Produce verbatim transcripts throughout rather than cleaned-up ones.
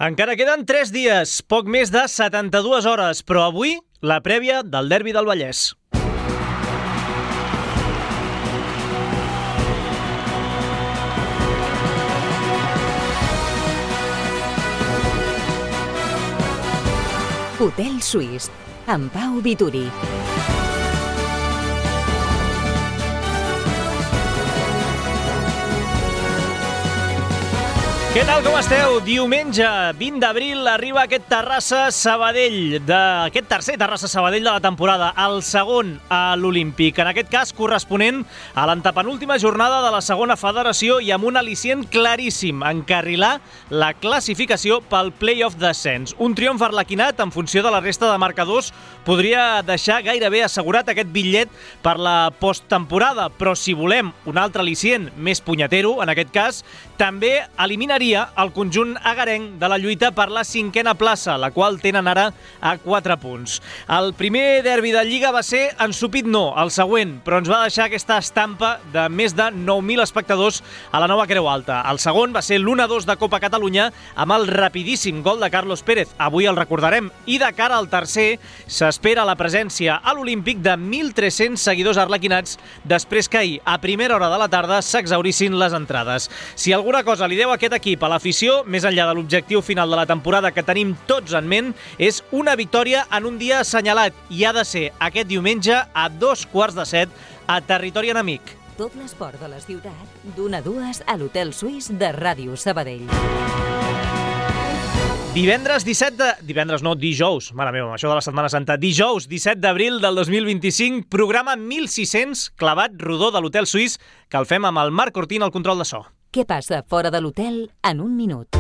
Encara queden tres dies, poc més de setanta-dues hores, però avui la prèvia del derbi del Vallès. Hotel Suís, amb Pau Vituri. Què tal, com esteu? Diumenge vint d'abril arriba aquest Terrassa-Sabadell, d'aquest tercer Terrassa-Sabadell de la temporada, el segon a l'Olímpic, en aquest cas corresponent a l'antepenúltima jornada de la segona federació i amb un al·licient claríssim, encarrilar la classificació pel play-off d'ascens. Un triomf arlequinat en funció de la resta de marcadors podria deixar gairebé assegurat aquest bitllet per la posttemporada, però si volem un altre al·licient més punyetero, en aquest cas, també eliminaria el conjunt agarenc de la lluita per la cinquena plaça, la qual tenen ara a quatre punts. El primer derbi de Lliga va ser ensupit no, el següent, però ens va deixar aquesta estampa de més de nou mil espectadors a la nova Creu Alta. El segon va ser l'u a dos de Copa Catalunya amb el rapidíssim gol de Carlos Pérez, avui el recordarem, i de cara al tercer s'espera la presència a l'Olímpic de mil tres-cents seguidors arlequinats després que ahir, a primera hora de la tarda, s'exhaurissin les entrades. Si alguna cosa li deu aquest equip a l'afició, més enllà de l'objectiu final de la temporada que tenim tots en ment, és una victòria en un dia assenyalat i ha de ser aquest diumenge a dos quarts de set a territori enemic. Tot l'esport de la ciutat, d'una a dues a l'Hotel Suís de Ràdio Sabadell. Divendres disset de... Divendres no, dijous. Mare meva, això de la Setmana Santa. Dijous, disset d'abril del dos mil vint-i-cinc, programa mil sis-cents, clavat rodó de l'Hotel Suís, que el fem amb el Marc Cortín al control de so. Què passa fora de l'hotel en un minut?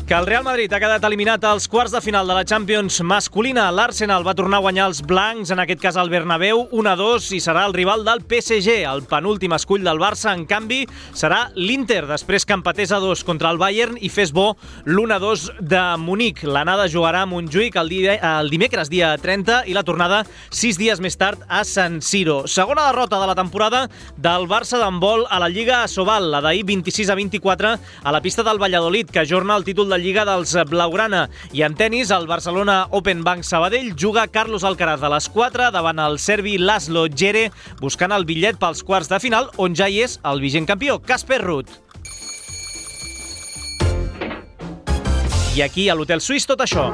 Que el Real Madrid ha quedat eliminat als quarts de final de la Champions masculina. L'Arsenal va tornar a guanyar els blancs, en aquest cas al Bernabéu, u a dos, i serà el rival del P S G. El penúltim escull del Barça, en canvi, serà l'Inter, després que empatés a dos contra el Bayern i fes bo l'u a dos de Munic. L'anada jugarà a Montjuïc el, dia, el dimecres, dia trenta, i la tornada sis dies més tard a San Siro. Segona derrota de la temporada del Barça d'handbol a la Lliga Asobal, la d'ahir vint-i-sis a vint-i-quatre a la pista del Valladolid, que ajorna el títol de Lliga dels Blaugrana. I en tenis, el Barcelona Open Bank Sabadell juga Carlos Alcaraz a les quatre davant el serbi Laszlo Djere, buscant el bitllet pels quarts de final, on ja hi és el vigent campió, Casper Ruud. I aquí, a l'Hotel Suís, tot això.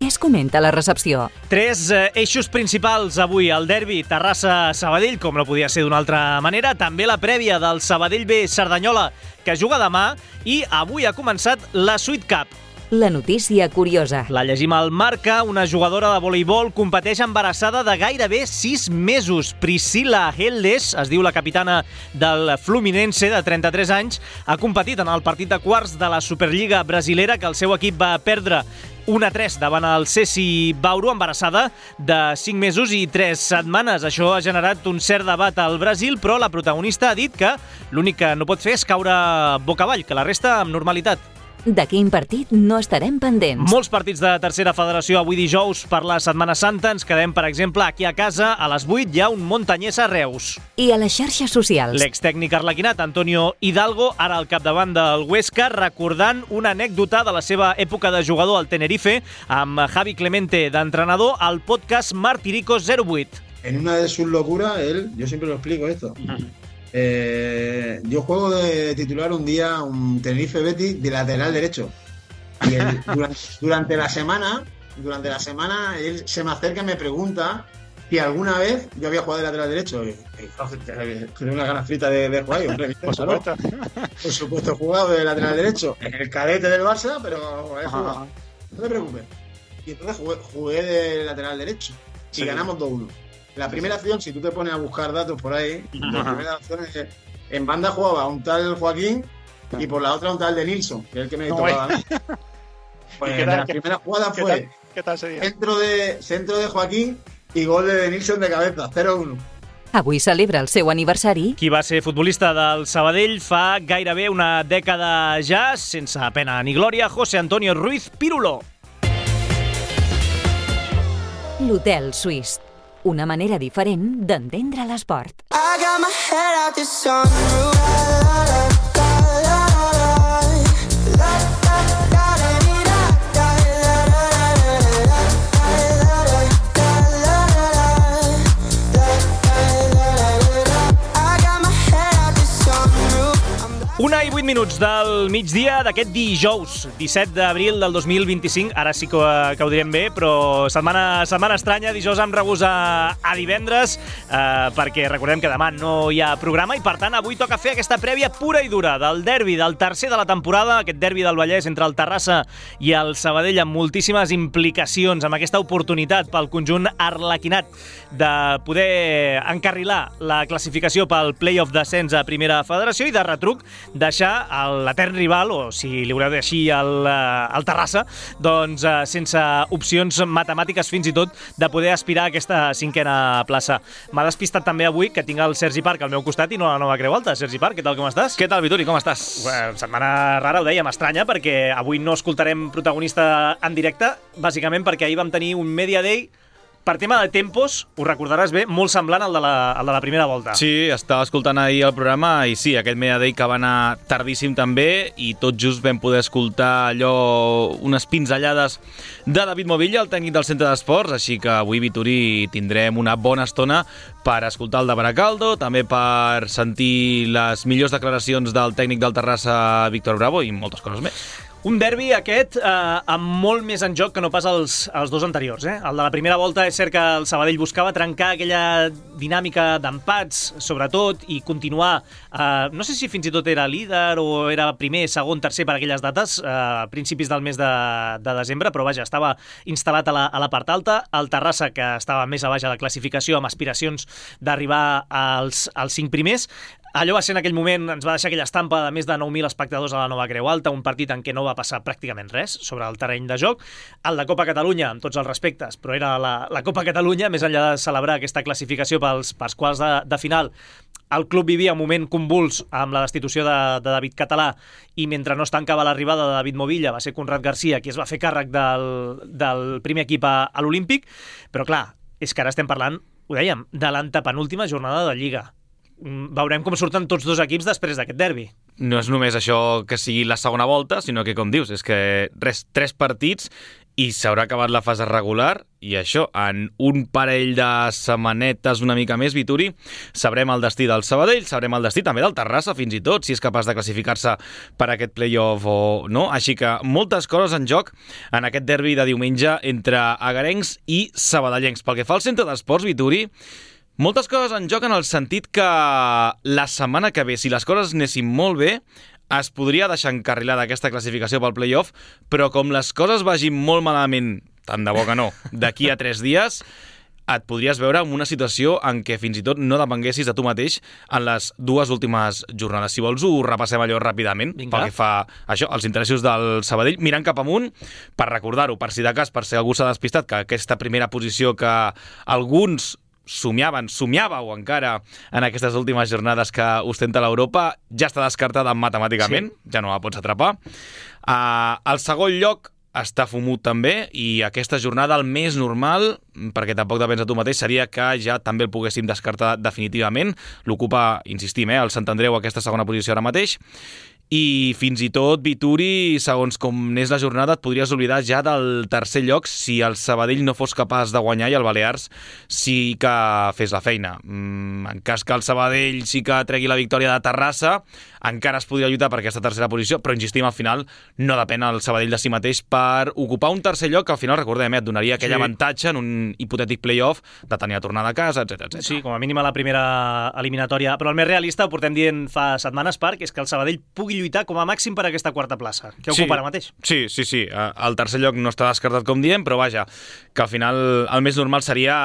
Es comenta la recepció. Tres eh, eixos principals avui, el derbi Terrassa-Sabadell, com no podia ser d'una altra manera, també la prèvia del Sabadell B Cerdanyola, que juga demà, i avui ha començat la Sweet Cup. La notícia curiosa. La llegim al Marca. Una jugadora de voleibol competeix embarassada de gairebé sis mesos. Priscila Heldes, es diu la capitana del Fluminense, de trenta-tres anys, ha competit en el partit de quarts de la Superliga brasilera que el seu equip va perdre u a tres davant el C S I Bauru, embarassada de cinc mesos i tres setmanes. Això ha generat un cert debat al Brasil, però la protagonista ha dit que l'únic que no pot fer és caure boca avall, que la resta amb normalitat. De quin partit no estarem pendents? Molts partits de tercera federació avui dijous per la Setmana Santa. Ens quedem, per exemple, aquí a casa. A les vuit hi ha un Montanyès a Reus. I a les xarxes socials. L'extècnic arlequinat Antonio Hidalgo, ara al capdavant del Huesca, recordant una anècdota de la seva època de jugador al Tenerife, amb Javi Clemente d'entrenador, al podcast Martiricos zero vuit. En una de sus locuras, él, yo siempre lo explico esto, Eh, yo juego de titular un día un Tenerife Betis de lateral derecho y él, durante, durante la semana durante la semana él se me acerca y me pregunta si alguna vez yo había jugado de lateral derecho y, y, tengo una gana frita de, de jugar y, hombre, por supuesto por supuesto he jugado de lateral derecho en el cadete del Barça, pero he jugado, no te preocupes. Y entonces jugué, jugué de lateral derecho y sí, ganamos dos uno. La primera acción, si tú te pones a buscar datos por ahí, la primera acción es que en banda jugaba un tal Joaquín y por la otra un tal de Nilsson, que es el que me tocaba a mí. Pues la primera jugada fue ¿Qué tal, ¿Qué tal sería? Centro, de, centro de Joaquín i gol de Nilsson de cabeza, cero uno. Avui celebra el seu aniversari. Qui va ser futbolista del Sabadell fa gairebé una dècada ja, sense pena ni glòria, José Antonio Ruiz Pirulo. L'Hotel Suís. Una manera diferent d'entendre l'esport. got my head out the sunroof. La, la, la. Una i vuit minuts del migdia d'aquest dijous, disset d'abril del dos mil vint-i-cinc. Ara sí que, que ho direm bé, però setmana, setmana estranya, dijous amb regús a, a divendres, eh, perquè recordem que demà no hi ha programa i, per tant, avui toca fer aquesta prèvia pura i dura del derbi, del tercer de la temporada, aquest derbi del Vallès entre el Terrassa i el Sabadell, amb moltíssimes implicacions, amb aquesta oportunitat pel conjunt arlequinat de poder encarrilar la classificació pel play-off d'ascens a Primera Federació i, de retruc, deixar l'etern rival, o si li voleu dir així, el, el Terrassa, doncs eh, sense opcions matemàtiques fins i tot de poder aspirar a aquesta cinquena plaça. M'ha despistat també avui que tinc el Sergi Parc al meu costat i no la Nova Creu Alta. Sergi Parc, què tal, com estàs? Què tal, Vituri, com estàs? Bueno, setmana rara, ho dèiem, estranya, perquè avui no escoltarem protagonista en directe, bàsicament perquè ahir vam tenir un Media Day per tema de tempos, ho recordaràs bé, molt semblant al de la, al de la primera volta. Sí, estava escoltant ahir el programa i sí, aquest Media Day que va anar tardíssim també i tot just vam poder escoltar allò, unes pinzellades de David Movilla, el tècnic del centre d'esports, així que avui, Vituri, tindrem una bona estona per escoltar el de Baracaldo, també per sentir les millors declaracions del tècnic del Terrassa, Víctor Bravo, i moltes coses més. Un derbi aquest eh, amb molt més en joc que no pas els, els dos anteriors. Eh? El de la primera volta és cert que el Sabadell buscava trencar aquella dinàmica d'empats, sobretot, i continuar, eh, no sé si fins i tot era líder o era primer, segon, tercer per aquelles dates, eh, a principis del mes de, de desembre, però vaja, estava instal·lat a la, a la part alta. El Terrassa, que estava més a baix a la classificació, amb aspiracions d'arribar als, als cinc primers. Allò va ser en aquell moment, ens va deixar aquella estampa de més de nou mil espectadors a la Nova Creu Alta, un partit en què no va passar pràcticament res sobre el terreny de joc. El de Copa Catalunya, amb tots els respectes, però era la, la Copa Catalunya, més enllà de celebrar aquesta classificació pels, pels quarts de, de final. El club vivia un moment convuls amb la destitució de, de David Català i mentre no es tancava l'arribada de David Movilla va ser Conrad Garcia qui es va fer càrrec del, del primer equip a, a l'Olímpic, però clar, és que ara estem parlant, ho dèiem, de l'antepenúltima jornada de Lliga. Veurem com surten tots dos equips després d'aquest derbi. No és només això que sigui la segona volta, sinó que, com dius, és que res, tres partits i s'haurà acabat la fase regular i això, en un parell de setmanetes una mica més, Vituri, sabrem el destí del Sabadell, sabrem el destí també del Terrassa, fins i tot, si és capaç de classificar-se per aquest play-off o no. Així que moltes coses en joc en aquest derbi de diumenge entre agarencs i sabadellencs. Pel que fa al centre d'esports, Vituri, moltes coses en joc en el sentit que la setmana que ve, si les coses anessin molt bé, es podria deixar encarrilada aquesta classificació pel play-off, però com les coses vagin molt malament, tant de bo que no, d'aquí a tres dies, et podries veure en una situació en què fins i tot no depenguessis de tu mateix en les dues últimes jornades. Si vols, ho repassem allò ràpidament, Vinga. pel que fa això, els interessos del Sabadell, mirant cap amunt, per recordar-ho, per si de cas, per si algú s'ha despistat, que aquesta primera posició que alguns somiaven, somiàveu encara en aquestes últimes jornades que ostenta l'Europa, ja està descartada matemàticament, sí. Ja no la pots atrapar. Uh, el segon lloc està fumut també, i aquesta jornada el més normal, perquè tampoc depèn de tu mateix, seria que ja també el poguéssim descartar definitivament. L'ocupa, insistim, eh, el Sant Andreu aquesta segona posició ara mateix. I fins i tot, Vituri, segons com n'és la jornada, et podries oblidar ja del tercer lloc si el Sabadell no fos capaç de guanyar i el Balears sí que fes la feina. En cas que el Sabadell sí que tregui la victòria de Terrassa, encara es podria lluitar per aquesta tercera posició, però insistim, al final no depèn el Sabadell de si mateix per ocupar un tercer lloc que al final, recordem, eh, et donaria aquell sí. avantatge en un hipotètic play-off de tenir a tornar de casa, etcètera, etcètera. Sí, com a mínim a la primera eliminatòria, però el més realista, ho portem dient fa setmanes, Parc, és que el Sabadell pugui lluitar com a màxim per aquesta quarta plaça, que sí, ocupa ara mateix. Sí, sí, sí. El tercer lloc no està descartat, com diem, però vaja, que al final el més normal seria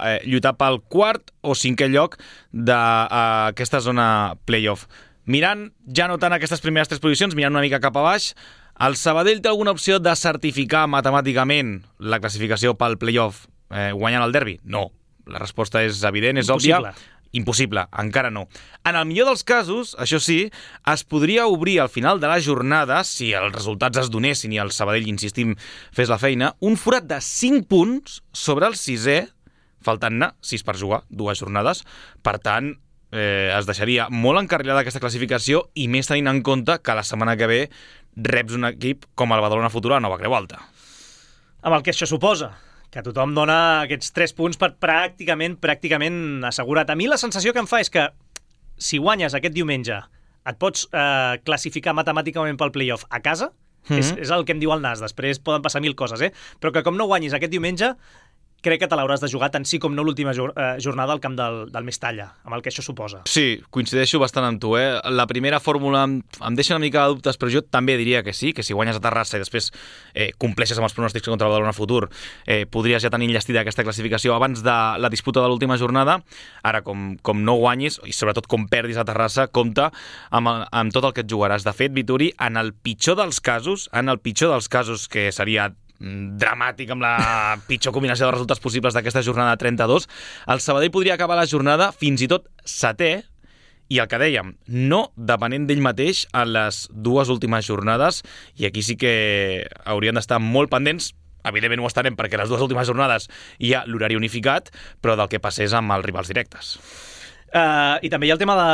eh, lluitar pel quart o cinquè lloc d'aquesta uh, zona play-off. Mirant ja no tant aquestes primeres tres posicions, mirant una mica cap a baix, el Sabadell té alguna opció de certificar matemàticament la classificació pel play-off eh, guanyant el derbi? No. La resposta és evident, és Impossible. òbvia. Impossible, encara no. En el millor dels casos, això sí, es podria obrir al final de la jornada, si els resultats es donessin i el Sabadell, insistim, fes la feina, un forat de cinc punts sobre el sisè, faltant-ne sis per jugar, dues jornades. Per tant, eh, es deixaria molt encarrilada aquesta classificació i més tenint en compte que la setmana que ve reps un equip com el Badalona Futura a Nova Creu Alta. Amb el que això suposa, que tothom dona aquests tres punts per pràcticament, pràcticament assegurat. A mi la sensació que em fa és que si guanyes aquest diumenge et pots eh, classificar matemàticament pel playoff a casa, mm-hmm. és, és el que em diu el Nas, després poden passar mil coses, eh? Però que com no guanyis aquest diumenge, crec que te l'hauràs de jugar tant sí com no l'última jornada al camp del, del Mestalla, amb el que això suposa. Sí, coincideixo bastant amb tu, eh? La primera fórmula em, em deixa una mica de dubtes, però jo també diria que sí, que si guanyes a Terrassa i després eh, compleixes amb els pronòstics contra el Badalona Futur, eh, podries ja tenir enllestida aquesta classificació abans de la disputa de l'última jornada. Ara, com, com no guanyis, i sobretot com perdis a Terrassa, compta amb, amb tot el que et jugaràs. De fet, Vituri, en el pitjor dels casos, en el pitjor dels casos, que seria dramàtic amb la pitjor combinació de resultats possibles d'aquesta jornada trenta-dos, el Sabadell podria acabar la jornada fins i tot setè i el que dèiem, no depenent d'ell mateix en les dues últimes jornades, i aquí sí que haurien d'estar molt pendents. Evidentment ho estarem perquè les dues últimes jornades hi ha l'horari unificat, però del que passés amb els rivals directes. Uh, I també hi ha el tema de,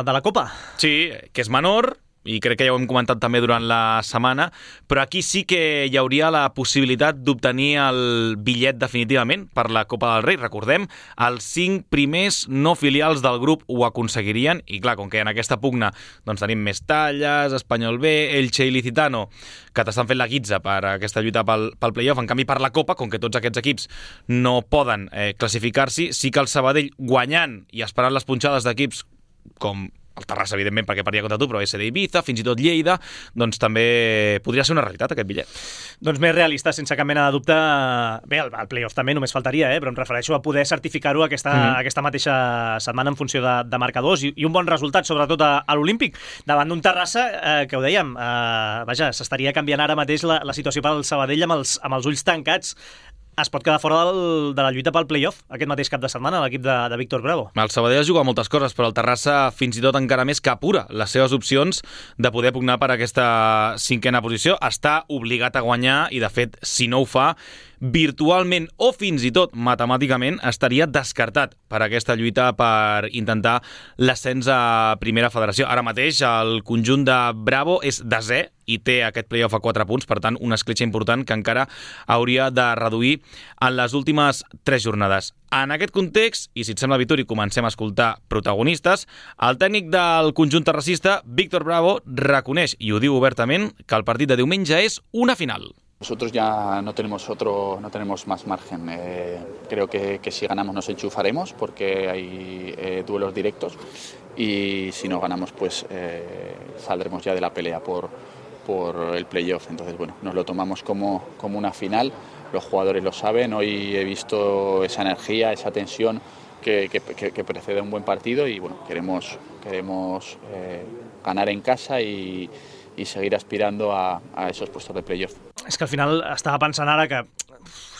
de la Copa. Sí, que és menor, i crec que ja ho hem comentat també durant la setmana, però aquí sí que hi hauria la possibilitat d'obtenir el bitllet definitivament per la Copa del Rei. Recordem, els cinc primers no filials del grup ho aconseguirien, i clar, com que en aquesta pugna doncs tenim Mestalles, Espanyol B, Elche i Licitano, que t'estan fent la guitza per aquesta lluita pel, pel playoff. En canvi, per la Copa, com que tots aquests equips no poden eh, classificar-s'hi, sí que el Sabadell, guanyant i esperant les punxades d'equips com el Terrassa, evidentment, perquè perdia contra tu, però S D Ibiza, fins i tot Lleida, doncs també podria ser una realitat, aquest bitllet. Doncs més realista, sense cap mena de dubte. Bé, el, el playoff també només faltaria, eh? Però em refereixo a poder certificar-ho aquesta, mm-hmm. aquesta mateixa setmana en funció de, de marcadors i, i un bon resultat, sobretot a, a l'Olímpic, davant d'un Terrassa, eh, que ho dèiem, eh, vaja, s'estaria canviant ara mateix la, la situació pel Sabadell amb els, amb els ulls tancats. Es pot quedar fora del, de la lluita pel playoff aquest mateix cap de setmana, l'equip de, de Víctor Bravo. El Sabadell ha jugat moltes coses, però el Terrassa fins i tot encara més que apura les seves opcions de poder pugnar per aquesta cinquena posició. Està obligat a guanyar i, de fet, si no ho fa, virtualment o fins i tot matemàticament estaria descartat per aquesta lluita per intentar l'ascens a Primera Federació. Ara mateix el conjunt de Bravo és desè i té aquest playoff a quatre punts, per tant, una escletxa important que encara hauria de reduir en les últimes tres jornades. En aquest context, i si et sembla, Vituri, comencem a escoltar protagonistes, el tècnic del conjunt terrassista, Víctor Bravo, reconeix, i ho diu obertament, que el partit de diumenge és una final. Nosotros ya no tenemos otro, no tenemos más margen. Eh, creo que, que si ganamos nos enchufaremos porque hay eh, duelos directos y si no ganamos pues eh, saldremos ya de la pelea por, por el playoff. Entonces bueno, nos lo tomamos como, como una final. Los jugadores lo saben. Hoy he visto esa energía, esa tensión que, que, que, que precede un buen partido y bueno, queremos, queremos eh, ganar en casa y i seguir aspirando a, a esos puestos de playoff. És que al final estava pensant ara que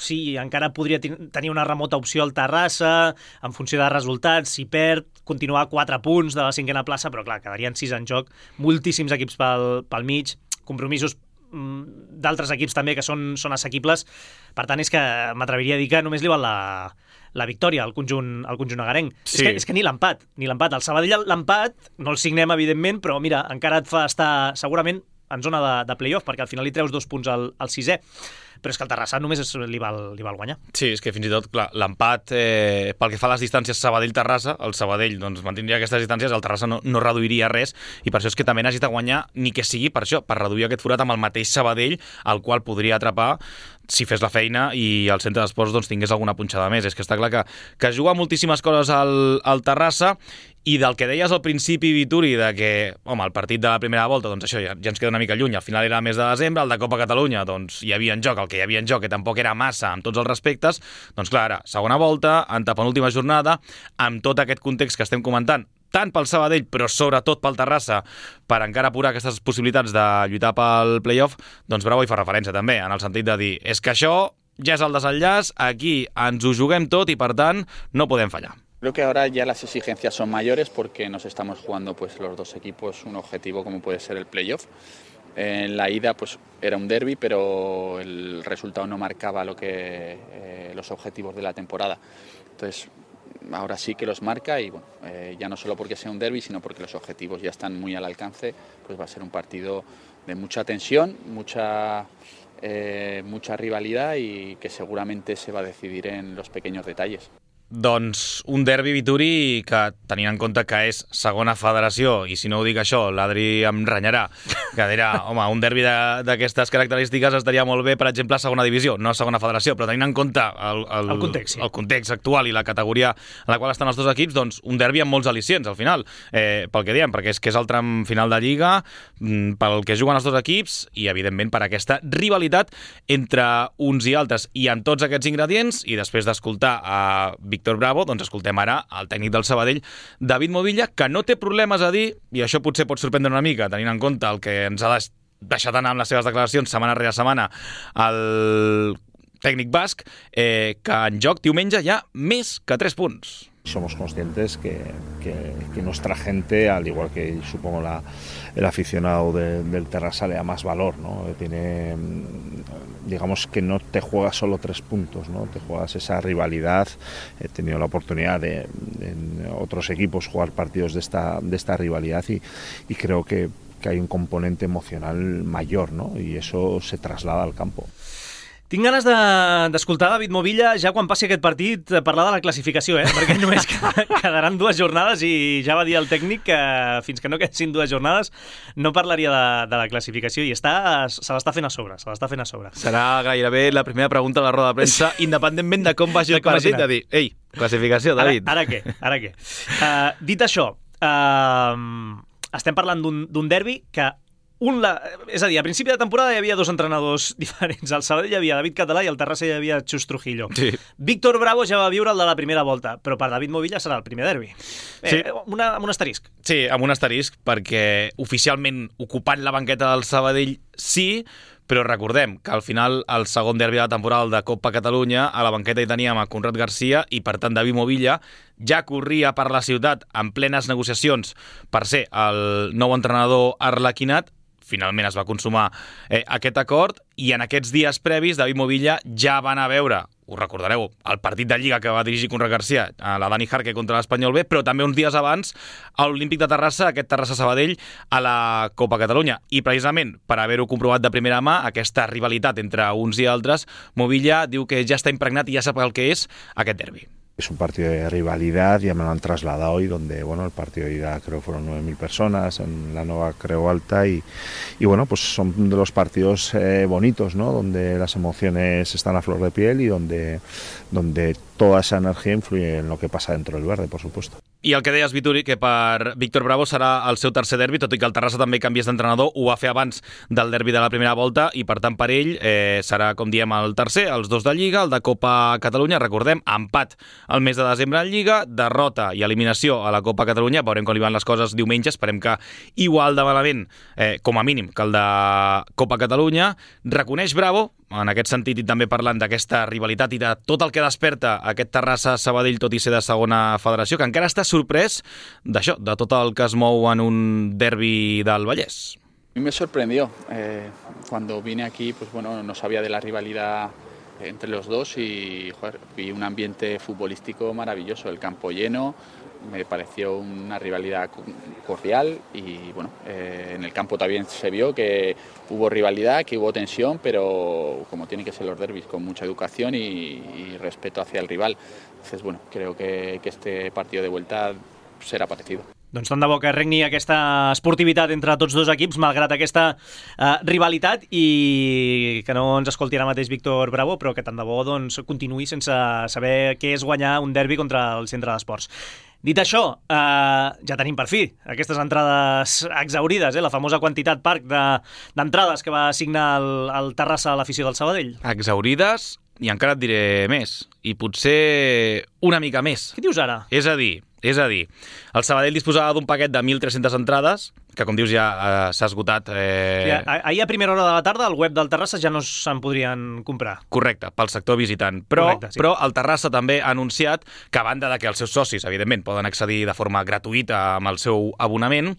sí, encara podria tenir una remota opció al Terrassa, en funció de resultats, si perd, continuar a quatre punts de la cinquena plaça, però clar, quedarien sis en joc, moltíssims equips pel, pel mig, compromisos d'altres equips també que són, són assequibles. Per tant, és que m'atreviria a dir que només li val la, la victòria al conjunt, al conjunt agarenc. Sí. És, que, és que ni l'empat, ni l'empat. El Sabadell l'empat, no el signem, evidentment, però mira, encara et fa estar segurament en zona de, de playoff, perquè al final li treus dos punts al, al sisè. Però és que el Terrassa només li val, li val guanyar. Sí, és que fins i tot, clar, l'empat, eh, pel que fa a les distàncies Sabadell-Terrassa, el Sabadell doncs, mantindria aquestes distàncies, el Terrassa no, no reduiria res, i per això és que també necessita guanyar, ni que sigui per això, per reduir aquest forat amb el mateix Sabadell, al qual podria atrapar si fes la feina i el centre d'esports doncs, tingués alguna punxada més. És que està clar que, que juga moltíssimes coses al, al Terrassa, i del que deies al principi, Vituri, de que, home, el partit de la primera volta, doncs això ja, ja ens queda una mica lluny, al final era el mes de desembre, el de Copa Catalunya, doncs hi havia en joc, el que hi havia en joc, que tampoc era massa amb tots els respectes, doncs clar, ara, segona volta, antepenúltima jornada, amb tot aquest context que estem comentant, tant pel Sabadell, però sobretot pel Terrassa, per encara apurar aquestes possibilitats de lluitar pel playoff, doncs Bravo hi fa referència també, en el sentit de dir, és que això ja és el desenllaç, aquí ens ho juguem tot i, per tant, no podem fallar. Creo que ahora ya las exigencias son mayores porque nos estamos jugando pues los dos equipos un objetivo como puede ser el playoff. En la ida pues era un derbi, pero el resultado no marcaba lo que eh, los objetivos de la temporada. Entonces ahora sí que los marca y bueno, eh, ya no solo porque sea un derbi, sino porque los objetivos ya están muy al alcance, pues va a ser un partido de mucha tensión, mucha, eh, mucha rivalidad y que seguramente se va a decidir en los pequeños detalles. Doncs un derbi, Vituri, que tenint en compte que és segona federació, i si no ho dic això, l'Adri em renyarà, que dirà, home, un derbi d'aquestes característiques estaria molt bé, per exemple, a segona divisió, no a segona federació, però tenint en compte el, el, el, context, sí. el context actual i la categoria en la qual estan els dos equips, doncs un derbi amb molts al·licients, al final, eh, pel que diem, perquè és que és el tram final de Lliga, pel que juguen els dos equips, i evidentment per aquesta rivalitat entre uns i altres, i amb tots aquests ingredients, i després d'escoltar a Víctor Bravo, doncs escoltem ara el tècnic del Sabadell, David Movilla, que no té problemes a dir, i això potser pot sorprendre una mica, tenint en compte el que ens ha deixat anar amb les seves declaracions setmana rere setmana el tècnic basc, eh, que en joc diumenge hi ha més que tres punts. Somos conscientes que, que, que nuestra gente, al igual que supongo la, el aficionado de, del Terrassa, le da más valor, ¿no? Tiene, digamos que no te juegas solo tres puntos, ¿no? Te juegas esa rivalidad. He tenido la oportunidad de, de en otros equipos jugar partidos de esta, de esta rivalidad y, y creo que, que hay un componente emocional mayor, ¿no? Y eso se traslada al campo. Tinc ganes d'escoltar de, David Movilla ja quan passi aquest partit parlar de la classificació, eh? Perquè només quedaran dues jornades i ja va dir el tècnic que fins que no quedessin dues jornades no parlaria de, de la classificació i està, se l'està fent a sobre, se l'està fent a sobre. Serà gairebé la primera pregunta a la roda de premsa, independentment de com vagi el partit, de dir, ei, classificació, David. Ara, ara què? Ara què? Uh, dit això, uh, estem parlant d'un derbi que Un la... És a dir, a principi de temporada hi havia dos entrenadors diferents. Al Sabadell hi havia David Català i al Terrassa hi havia Xus Trujillo. Sí. Víctor Bravo ja va viure el de la primera volta, però per David Movilla serà el primer derbi. Sí. Eh, una, amb un asterisc. Sí, amb un asterisc, perquè oficialment ocupant la banqueta del Sabadell sí, però recordem que al final el segon derbi de la temporada de Copa Catalunya a la banqueta hi teníem a Conrad Garcia i per tant David Movilla ja corria per la ciutat en plenes negociacions per ser el nou entrenador arlequinat. Finalment es va consumar eh, aquest acord i en aquests dies previs David Movilla ja va anar a veure, us recordareu, el partit de Lliga que va dirigir Conrad Garcia, a la Dani Jarque contra l'Espanyol B, però també uns dies abans a l'Olímpic de Terrassa, aquest Terrassa-Sabadell a la Copa Catalunya. I precisament per haver-ho comprovat de primera mà, aquesta rivalitat entre uns i altres, Movilla diu que ja està impregnat i ja sap el que és aquest derbi. Es un partido de rivalidad, ya me lo han trasladado hoy, donde bueno, el partido de ida creo fueron nueve mil personas en la nueva Creu Alta y, y bueno, pues son de los partidos eh, bonitos, ¿no? Donde las emociones están a flor de piel y donde, donde toda esa energía influye en lo que pasa dentro del verde, por supuesto. I el que deies, Vituri, que per Víctor Bravo serà el seu tercer derbi, tot i que el Terrassa també canviés d'entrenador, ho va fer abans del derbi de la primera volta i per tant per ell eh, serà, com diem, el tercer, els dos de Lliga, el de Copa Catalunya, recordem, empat el mes de desembre en Lliga, derrota i eliminació a la Copa Catalunya, veurem com li van les coses diumenge, esperem que igual de malament, eh, com a mínim, que el de Copa Catalunya. Reconeix Bravo, en aquest sentit i també parlant d'aquesta rivalitat i de tot el que desperta aquest Terrassa-Sabadell, tot i ser de segona federació, que encara està sorprès d'això, de tot el que es mou en un derbi del Vallès. A mí me sorprendió. Eh, cuando vine aquí, pues bueno, no sabía de la rivalidad entre los dos y joder, vi un ambiente futbolístico maravilloso, el campo lleno, me pareció una rivalidad cordial y bueno, eh, en el campo también se vio que hubo rivalidad, que hubo tensión, pero como tienen que ser los derbis, con mucha educación y, y respeto hacia el rival. Entonces, bueno, creo que, que este partido de vuelta serà parecido. Doncs tant de bo que regni aquesta esportivitat entre tots dos equips, malgrat aquesta uh, rivalitat, i que no ens escolti ara mateix Víctor Bravo, però que tant de bo doncs, continuï sense saber què és guanyar un derbi contra el centre d'esports. Dit això, eh, ja tenim per fi aquestes entrades exaurides, eh? La famosa quantitat parc d'entrades de, que va assignar el, el Terrassa a l'afició del Sabadell. Exaurides, i encara et diré més, i potser una mica més. Què dius ara? És a dir, és a dir, el Sabadell disposava d'un paquet de mil tres-centes entrades, que com dius ja eh, s'ha esgotat. Eh... Ja, ahir a primera hora de la tarda al web del Terrassa ja no se'n podrien comprar. Correcte, pel sector visitant. Però, Correcte, sí. però el Terrassa també ha anunciat que, a banda de que els seus socis, evidentment, poden accedir de forma gratuïta amb el seu abonament,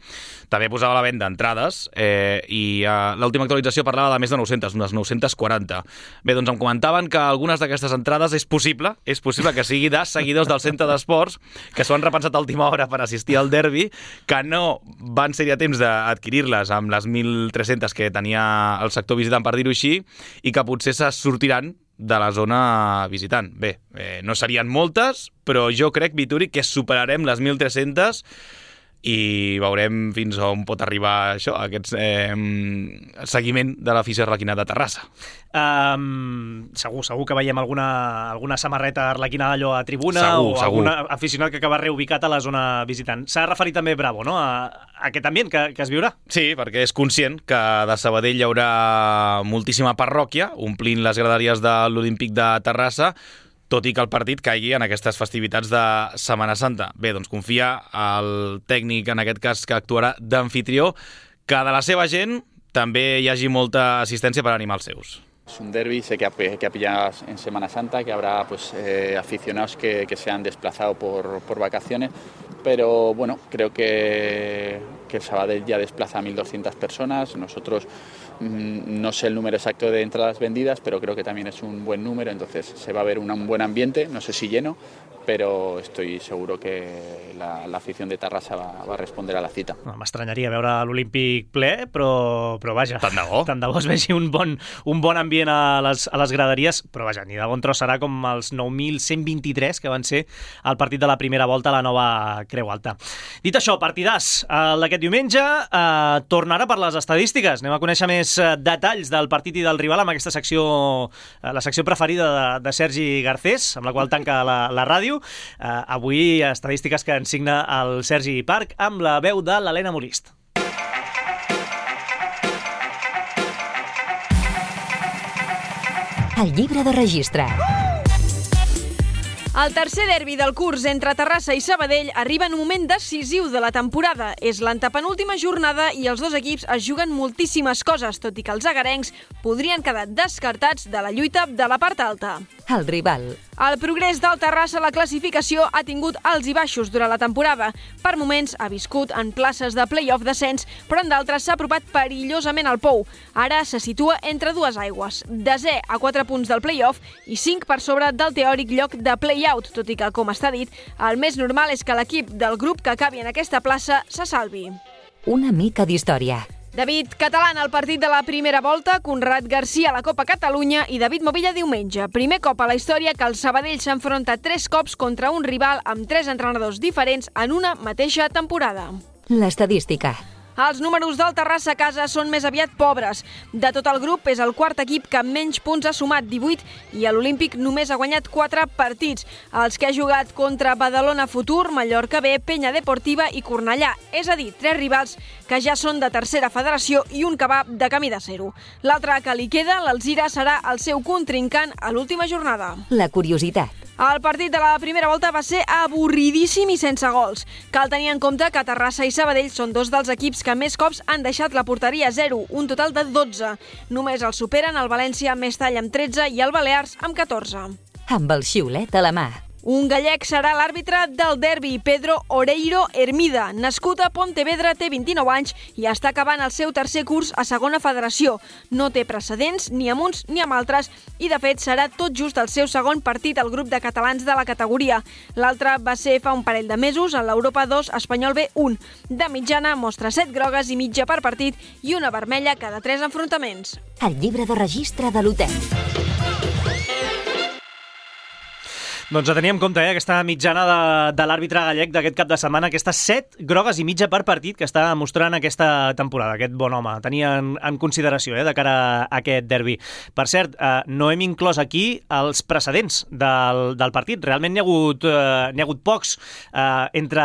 també posava a la venda entrades eh, i eh, l'última actualització parlava de més de nou-centes, unes nou-centes quaranta. Bé, doncs em comentaven que algunes d'aquestes entrades és possible, és possible que sigui de seguidors del centre d'esports que s'ho han repensat a última hora per assistir al derbi, que no van ser a temps d'adquirir-les amb les mil tres-centes que tenia el sector visitant, per dir-ho així, i que potser se sortiran de la zona visitant. Bé, eh, no serien moltes, però jo crec, Vituri, que superarem les mil tres-centes i veurem fins on pot arribar això, aquest eh, seguiment de l'afició arlequina de Terrassa. Um, segur, segur que veiem alguna, alguna samarreta arlequina d'allò a tribuna segur, o segur. algun aficionat que acaba reubicat a la zona visitant. S'ha referit també Bravo, no?, a, a aquest ambient que, que es viurà. Sí, perquè és conscient que de Sabadell hi haurà moltíssima parròquia omplint les graderies de l'Olímpic de Terrassa, tot i que el partit caigui en aquestes festivitats de Setmana Santa. Bé, doncs confia el tècnic, en aquest cas, que actuarà d'anfitrió, que de la seva gent també hi hagi molta assistència per animar els seus. Es un derbi, sé que ha, que ha pillado en Semana Santa, que habrá pues, eh, aficionados que, que se han desplazado por, por vacaciones, pero bueno, creo que, que el Sabadell ya desplaza a mil doscientas personas. Nosotros mmm, no sé el número exacto de entradas vendidas, pero creo que también es un buen número, entonces se va a ver un, un buen ambiente, no sé si lleno, però estoy seguro que la, la afición de Terrassa va, va a responder a la cita. No, m'estranyaria veure l'Olímpic ple, però, però vaja, tant de bo. tant de bo es vegi un bon, un bon ambient a les, a les graderies, però vaja, ni de bon tros serà com els nou mil cent vint-i-tres que van ser el partit de la primera volta a la nova Creu Alta. Dit això, partidàs el d'aquest diumenge, eh, tornarà per les estadístiques. Anem a conèixer més detalls del partit i del rival amb aquesta secció, eh, la secció preferida de, de Sergi Garcés, amb la qual tanca la, la ràdio. Uh, avui estadístiques que ens signa el Sergi Parc amb la veu de l'Helena Molist. El llibre de registre. El tercer derbi del curs entre Terrassa i Sabadell arriba en un moment decisiu de la temporada. És l'antepenúltima jornada i els dos equips es juguen moltíssimes coses, tot i que els agarencs podrien quedar descartats de la lluita de la part alta. El rival. El progrés del Terrassa a la classificació ha tingut alts i baixos durant la temporada. Per moments ha viscut en places de play-off descens, però en d'altres s'ha apropat perillosament al pou. Ara se situa entre dues aigües, desè a quatre punts del play-off i cinc per sobre del teòric lloc de play-out, tot i que, com està dit, el més normal és que l'equip del grup que acabi en aquesta plaça se salvi. Una mica d'història. David Catalán al partit de la primera volta, Conrad Garcia a la Copa Catalunya i David Movilla diumenge. Primer cop a la història que el Sabadell s'enfronta tres cops contra un rival amb tres entrenadors diferents en una mateixa temporada. L'estadística. Els números del Terrassa a casa són més aviat pobres. De tot el grup és el quart equip que menys punts ha sumat, divuit, i a l'Olímpic només ha guanyat quatre partits, els que ha jugat contra Badalona Futur, Mallorca B, Penya Deportiva i Cornellà, és a dir, tres rivals que ja són de tercera federació i un que va de camí de zero. L'altre que li queda, l'Alzira, serà el seu contrincant a l'última jornada. La curiositat. El partit de la primera volta va ser avorridíssim i sense gols. Cal tenir en compte que Terrassa i Sabadell són dos dels equips que més cops han deixat la porteria a zero, un total de dotze. Només el superen el València amb Mestalla amb tretze i el Balears amb catorze. Amb el xiulet a la mà. Un gallec serà l'àrbitre del derbi, Pedro Oreiro Hermida. Nascut a Pontevedra, té vint-i-nou anys i està acabant el seu tercer curs a segona federació. No té precedents ni amb uns ni amb altres i, de fet, serà tot just el seu segon partit al grup de catalans de la categoria. L'altre va ser fa un parell de mesos en l'Europa dos Espanyol B un. De mitjana mostra set grogues i mitja per partit i una vermella cada tres enfrontaments. El llibre de registre de l'hotel. Doncs a tenir en compte, eh, aquesta mitjana de, de l'àrbitre gallec d'aquest cap de setmana, aquestes set grogues i mitja per partit que està mostrant aquesta temporada, aquest bon home. Tenia en, en consideració eh, de cara a aquest derbi. Per cert, eh, no hem inclòs aquí els precedents del, del partit. Realment n'hi ha hagut, eh, n'hi ha hagut pocs eh, entre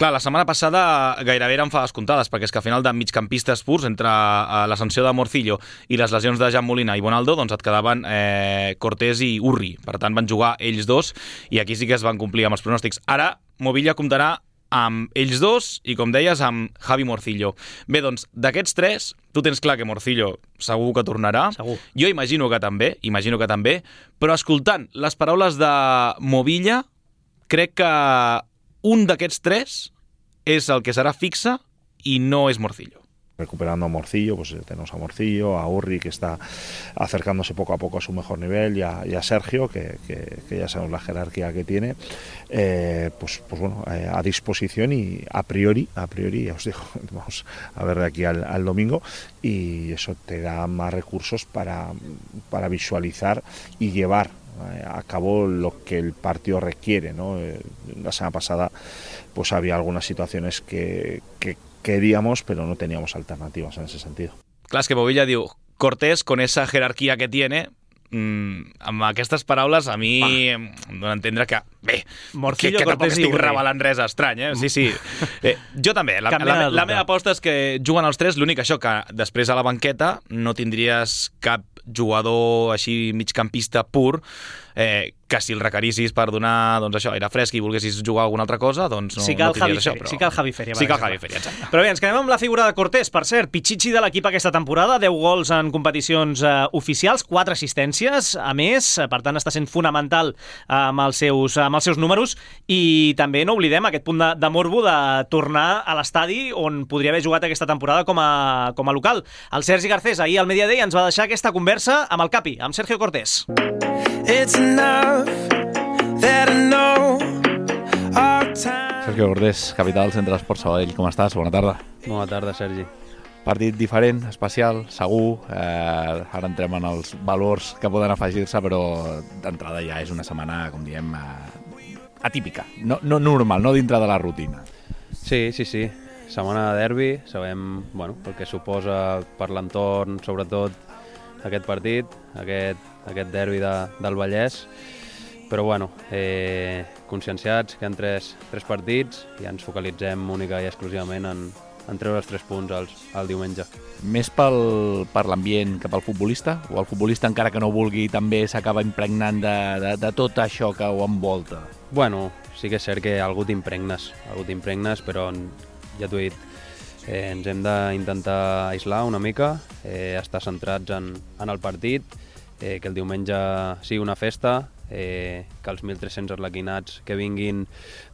Clar, la setmana passada gairebé eren fades comptades, perquè és que al final de migcampistes purs, entre la sanció de Morcillo i les lesions de Jan Molina i Bonaldo, doncs et quedaven eh, Cortés i Urri. Per tant, van jugar ells dos i aquí sí que es van complir amb els pronòstics. Ara, Movilla comptarà amb ells dos i, com deies, amb Javi Morcillo. Bé, doncs, d'aquests tres, tu tens clar que Morcillo segur que tornarà. Segur. Jo imagino que també, imagino que també, però escoltant les paraules de Movilla, crec que un d'aquests tres és el que serà fixe i no és Morcillo. Recuperando a Morcillo, pues tenemos a Morcillo, a Urri, que está acercándose poco a poco a su mejor nivel, y a, y a Sergio, que, que, que ya sabemos la jerarquía que tiene, eh, pues, pues bueno, eh, a disposición y a priori, a priori, ya os digo, vamos a ver de aquí al, al domingo, y eso te da más recursos para, para visualizar y llevar a cabo lo que el partido requiere, ¿no? La semana pasada pues había algunas situaciones que, que queríamos, pero no teníamos alternativas en ese sentido. Clar, és que Bobilla diu, Cortés, con esa jerarquía que tiene, mmm, amb aquestes paraules a mi em dona a entendre que, bé, Morcillo, que, que tampoc Cortés i estic Urri. revelant res estrany, eh? Sí, sí. Eh, jo també. La, Canviant la, de la dubte. meva aposta és que juguen els tres, l'únic això, que després a la banqueta no tindries cap jugador així migcampista pur, eh, que si el requerissis per donar, doncs això, aire fresc i volguessis jugar alguna altra cosa, doncs no, Sí que el no tindries Javi això. Feria, Però... sí que el Javi Feria, per Sí que el exemple. Javi Feria, exacte. Però bé, ens quedem amb la figura de Cortés. Per cert, Pichichi de l'equip aquesta temporada, deu gols en competicions eh, oficials, quatre assistències, a més, eh, per tant està sent fonamental eh, amb, els seus, amb els seus números, i també no oblidem aquest punt de, de morbo de tornar a l'estadi on podria haver jugat aquesta temporada com a, com a local. El Sergi Garcés ahir al Media Day ens va deixar aquesta conversa amb el Capi, amb Sergio Cortés. It's enough that I know our time. Sergio Cortés, capità del Centre d'Esport Sabadell. Com estàs? Bona tarda. Bona tarda, Sergi. Partit diferent, especial, segur. Eh, ara entrem en els valors que poden afegir-se, però d'entrada ja és una setmana, com diem, eh, atípica. No, no normal, no dintre de la rutina. Sí, sí, sí. Setmana de derbi, sabem bueno, el que suposa per l'entorn, sobretot aquest partit, aquest, aquest derbi de, del Vallès, però bueno, eh, conscienciats que hi ha tres, tres partits i ens focalitzem única i exclusivament en, en treure els tres punts als, al diumenge. Més pel, per l'ambient que pel futbolista? O el futbolista, encara que no vulgui, també s'acaba impregnant de, de, de tot això que ho envolta? Bueno, sí que és cert que algú t'impregnes, algú t'impregnes, però ja t'ho he dit, eh, ens hem d'intentar aïslar una mica, eh, estar centrats en, en el partit, eh, que el diumenge sigui una festa, eh, que els mil tres-cents arlequinats que vinguin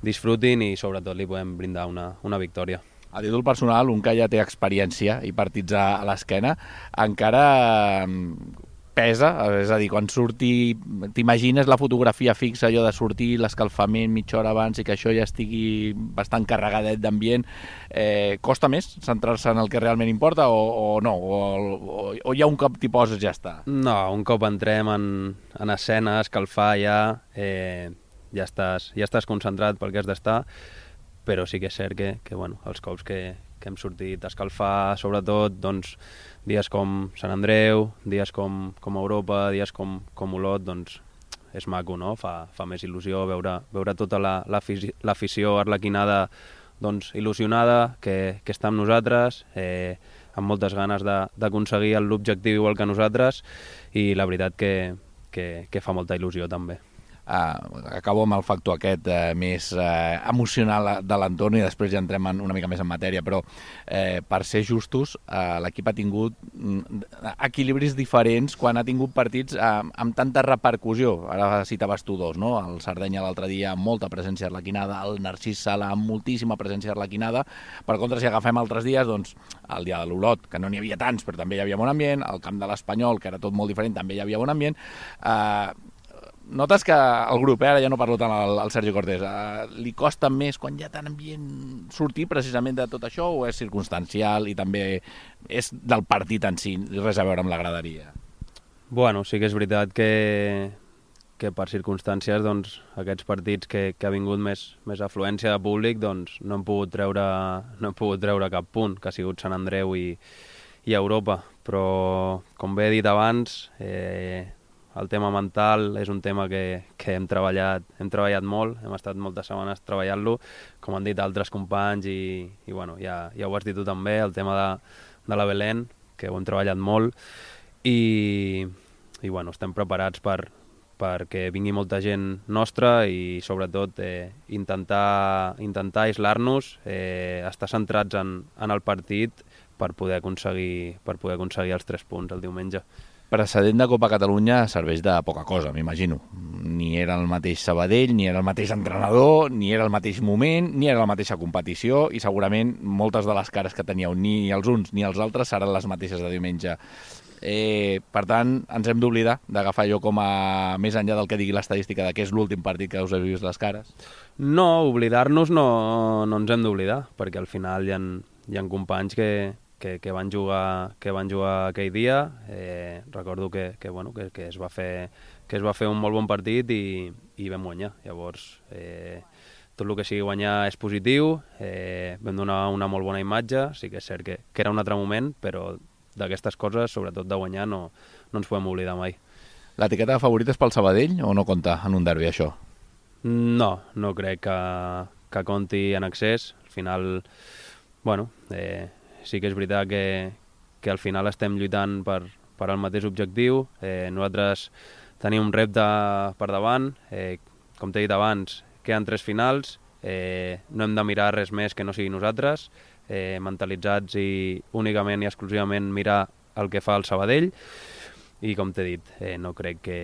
disfrutin i sobretot li podem brindar una, una victòria. A títol personal, un que ja té experiència i partits a, a l'esquena, encara pesa, és a dir, quan surti, t'imagines la fotografia fixa, allò de sortir, l'escalfament mitja hora abans i que això ja estigui bastant carregadet d'ambient, eh, costa més centrar-se en el que realment importa o, o no? O, o, o ja un cop t'hi poses ja està? No, un cop entrem en, en escena, escalfar ja, eh, ja, estàs, ja estàs concentrat pel que has d'estar, però sí que és cert que, que bueno, els cops que, que hem sortit a escalfar, sobretot, doncs, dies com Sant Andreu, dies com, com Europa, dies com, com Olot, doncs és maco, no? Fa, fa més il·lusió veure, veure tota l'afició la, arlequinada doncs, il·lusionada, que, que està amb nosaltres, eh, amb moltes ganes d'aconseguir l'objectiu igual que nosaltres, i la veritat que, que, que fa molta il·lusió també. Uh, acabo amb el factor aquest uh, més uh, emocional de l'entorn i després ja entrem en, una mica més en matèria, però uh, per ser justos, uh, l'equip ha tingut uh, equilibris diferents quan ha tingut partits uh, amb tanta repercussió. Ara citaves tu dos, no? El Sardenya l'altre dia amb molta presència arlequinada, el Narcís Sala amb moltíssima presència arlequinada. Per contra, si agafem altres dies, doncs el dia de l'Olot, que no n'hi havia tants, però també hi havia bon ambient, el camp de l'Espanyol, que era tot molt diferent, també hi havia bon ambient. Uh, Notes que el grup, eh, ara ja no parlo tant al, al Sergi Cortés, eh, li costa més quan hi ha tant ambient sortir precisament de tot això o és circumstancial i també és del partit en si, res a veure amb la graderia? Bueno, sí que és veritat que, que per circumstàncies doncs, aquests partits que, que ha vingut més, més afluència de públic doncs, no, hem pogut treure, no hem pogut treure cap punt, que ha sigut Sant Andreu i, i Europa, però com bé he dit abans, eh, el tema mental és un tema que, que hem treballat, hem treballat molt, hem estat moltes setmanes treballant-lo, com han dit altres companys, i, i bueno, ja, ja ho has dit tu també, el tema de, de la Belén, que ho hem treballat molt, i, i bueno, estem preparats per, perquè vingui molta gent nostra i sobretot eh, intentar, intentar aislar-nos, eh, estar centrats en, en el partit per poder aconseguir, per poder aconseguir els tres punts el diumenge. Precedent de Copa Catalunya serveix de poca cosa, m'imagino. Ni era el mateix Sabadell, ni era el mateix entrenador, ni era el mateix moment, ni era la mateixa competició, i segurament moltes de les cares que teníeu, ni els uns ni els altres, seran les mateixes de diumenge. Eh, per tant, ens hem d'oblidar d'agafar allò com a més enllà del que digui l'estadística de que és l'últim partit que us heu vist les cares? No, oblidar-nos no, no ens hem d'oblidar, perquè al final hi ha, hi ha companys que, que, que, van jugar, que van jugar aquell dia. Eh, recordo que, que, bueno, que, que, es va fer, que es va fer un molt bon partit i, i vam guanyar. Llavors, eh, tot el que sigui guanyar és positiu, eh, vam donar una molt bona imatge, sí que és cert que, que era un altre moment, però d'aquestes coses, sobretot de guanyar, no, no ens podem oblidar mai. L'etiqueta de favorit és pel Sabadell o no compta en un derbi, això? No, no crec que, que compti en excés. Al final, bueno, eh, sí que és veritat que, que al final estem lluitant per, per al mateix objectiu. Eh, nosaltres tenim un repte per davant. Eh, com t'he dit abans, queden tres finals. Eh, no hem de mirar res més que no sigui nosaltres. Eh, mentalitzats i únicament i exclusivament mirar el que fa el Sabadell, i com t'he dit, eh, no crec que,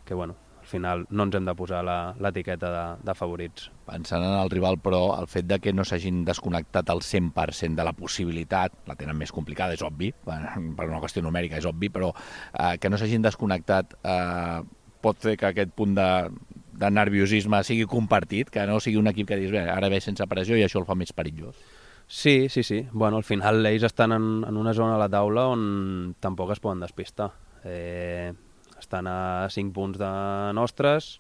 que bueno, al final no ens hem de posar l'etiqueta de, de favorits. Pensant en el rival, però, el fet de que no s'hagin desconnectat al cent per cent de la possibilitat, la tenen més complicada, és obvi, per una qüestió numèrica és obvi, però eh, que no s'hagin desconnectat eh, pot fer que aquest punt de, de nerviosisme sigui compartit, que no sigui un equip que dius, bé, ara ve sense pressió i això el fa més perillós. Sí, sí, sí. Bueno, al final ells estan en, en una zona a la taula on tampoc es poden despistar. Eh, estan a cinc punts de nostres,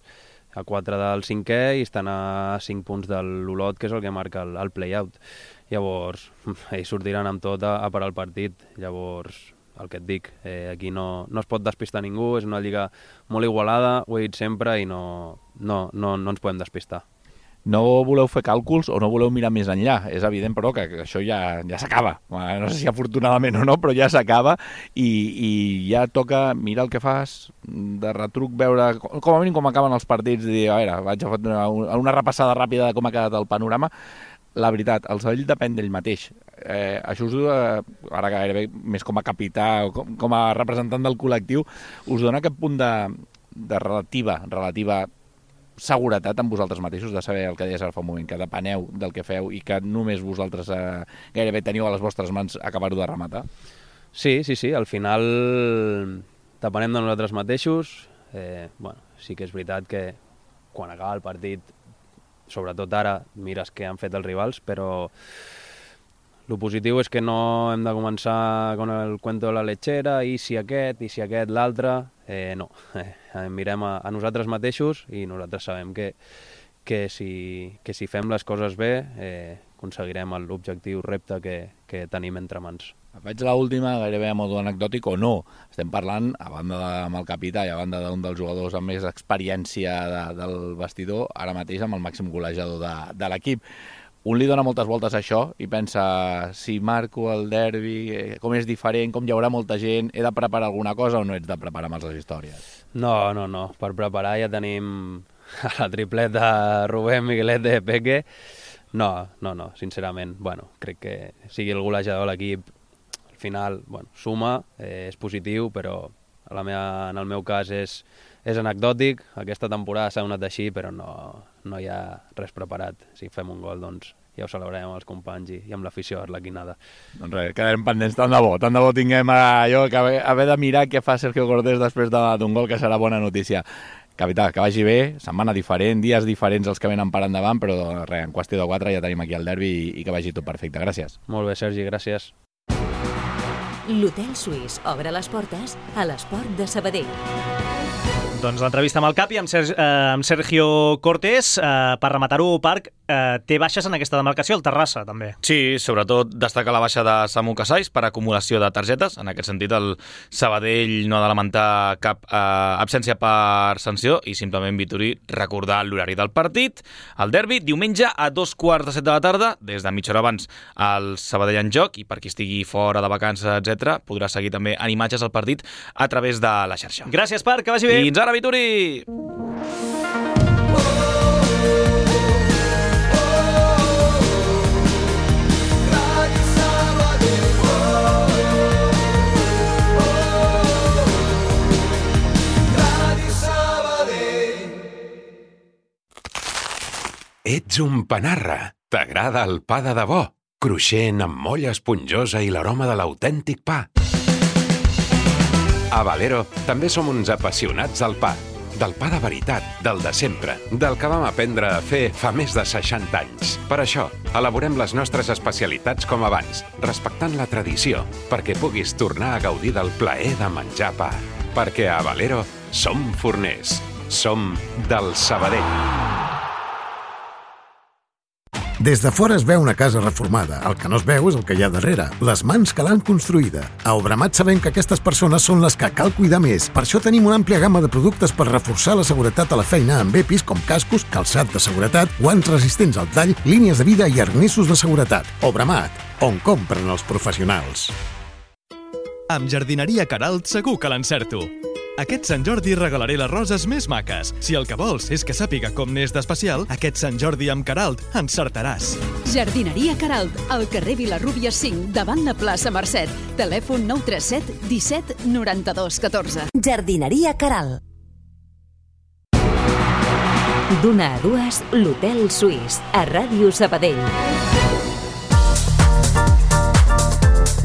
a quatre del cinquè, i estan a cinc punts de l'Olot, que és el que marca el, el play-out. Llavors, ells sortiran amb tot a, a parar el partit. Llavors, el que et dic, eh, aquí no, no es pot despistar ningú, és una lliga molt igualada, ho he dit sempre, i no, no, no, no ens podem despistar. No voleu fer càlculs o no voleu mirar més enllà. És evident, però, que això ja, ja s'acaba. No sé si afortunadament o no, però ja s'acaba i, i ja toca mirar el que fas, de retruc veure com a mínim com acaben els partits, i dir, a veure, vaig a fer una, una repassada ràpida de com ha quedat el panorama. La veritat, el Sabadell depèn d'ell mateix. Eh, això us dona, ara gairebé més com a capità o com, com a representant del col·lectiu, us dona aquest punt de, de relativa, relativa seguretat amb vosaltres mateixos, de saber el que deies ara fa un moment, que depeneu del que feu i que només vosaltres eh, gairebé teniu a les vostres mans acabar-ho de rematar? Sí, sí, sí, al final depenem de nosaltres mateixos. Eh, bueno, sí que és veritat que quan acaba el partit, sobretot ara, mires què han fet els rivals, però el positiu és que no hem de començar con el cuento de la lechera, i si aquest, i si aquest, l'altre. Eh, no, eh, mirem a, a nosaltres mateixos, i nosaltres sabem que, que, si, que si fem les coses bé eh, aconseguirem l'objectiu repte que, que tenim entre mans. Faig l'última, gairebé a modo anecdòtic o no. Estem parlant, a banda de, amb el capità i a banda d'un dels jugadors amb més experiència de, del vestidor, ara mateix amb el màxim golejador de, de l'equip. Un li dona moltes voltes a això i pensa, si marco el derbi, com és diferent, com hi haurà molta gent, he de preparar alguna cosa o no ets de preparar més les històries? No, no, no. Per preparar ja tenim la tripleta Rubén, Miguelete, Peque. No, no, no, sincerament. Bueno, crec que sigui el golejador de l'equip, al final, bueno, suma, eh, és positiu, però a la meva, en el meu cas és, és anecdòtic. Aquesta temporada s'ha donat així, però no, no hi ha res preparat. Si fem un gol, doncs ja ho celebrarem amb els companys i, i amb l'afició arlequinada. Doncs res, quedarem pendents, tant de bo. Tant de bo tinguem allò que haver, haver de mirar què fa Sergio Cortés després d'un gol, que serà bona notícia. Capità, que vagi bé, setmana diferent, dies diferents els que venen per endavant, però res, en qüestió de quatre ja tenim aquí el derbi i, i que vagi tot perfecte. Gràcies. Molt bé, Sergi, gràcies. L'Hotel Suís obre les portes a l'Esport de Sabadell. Doncs l'entrevista amb el Capi, amb, Sergi, eh, amb Sergio Cortés, eh, per rematar-ho, Parc, eh, té baixes en aquesta demarcació, el Terrassa, també. Sí, sobretot destaca la baixa de Samu Casais per acumulació de targetes. En aquest sentit, el Sabadell no ha de lamentar cap eh, absència per sanció i simplement, Vitori, recordar l'horari del partit. El derbi, diumenge a dos quarts de set de la tarda, des de mitja hora abans el Sabadell en joc, i per qui estigui fora de vacances, etcètera, podrà seguir també en imatges al partit a través de la xarxa. Gràcies, Parc, que vagi bé. Fins ara, Vitori! Ets un panarra. T'agrada el pa de debò, cruixent amb molla esponjosa i l'aroma de l'autèntic pa. A Valero també som uns apassionats del pa. Del pa de veritat, del de sempre, del que vam aprendre a fer fa més de seixanta anys. Per això, elaborem les nostres especialitats com abans, respectant la tradició, perquè puguis tornar a gaudir del plaer de menjar pa. Perquè a Valero som forners. Som del Sabadell. Des de fora es veu una casa reformada. El que no es veu és el que hi ha darrere, les mans que l'han construïda. A Obramat sabem que aquestes persones són les que cal cuidar més. Per això tenim una àmplia gamma de productes per reforçar la seguretat a la feina amb EPIs com cascos, calçat de seguretat, guants resistents al tall, línies de vida i arnessos de seguretat. Obramat, on compren els professionals. Amb Jardineria Queralt segur que l'encerto. Aquest Sant Jordi regalaré les roses més maques. Si el que vols és que sàpiga com n'és d'especial, aquest Sant Jordi amb Queralt encertaràs. Jardineria Queralt, al carrer Vilarrúbia cinc, davant la plaça Mercet. Telèfon nou tres set disset noranta-dos catorze. Jardineria Queralt. D'una a dues, l'Hotel Suís, a Ràdio Sabadell.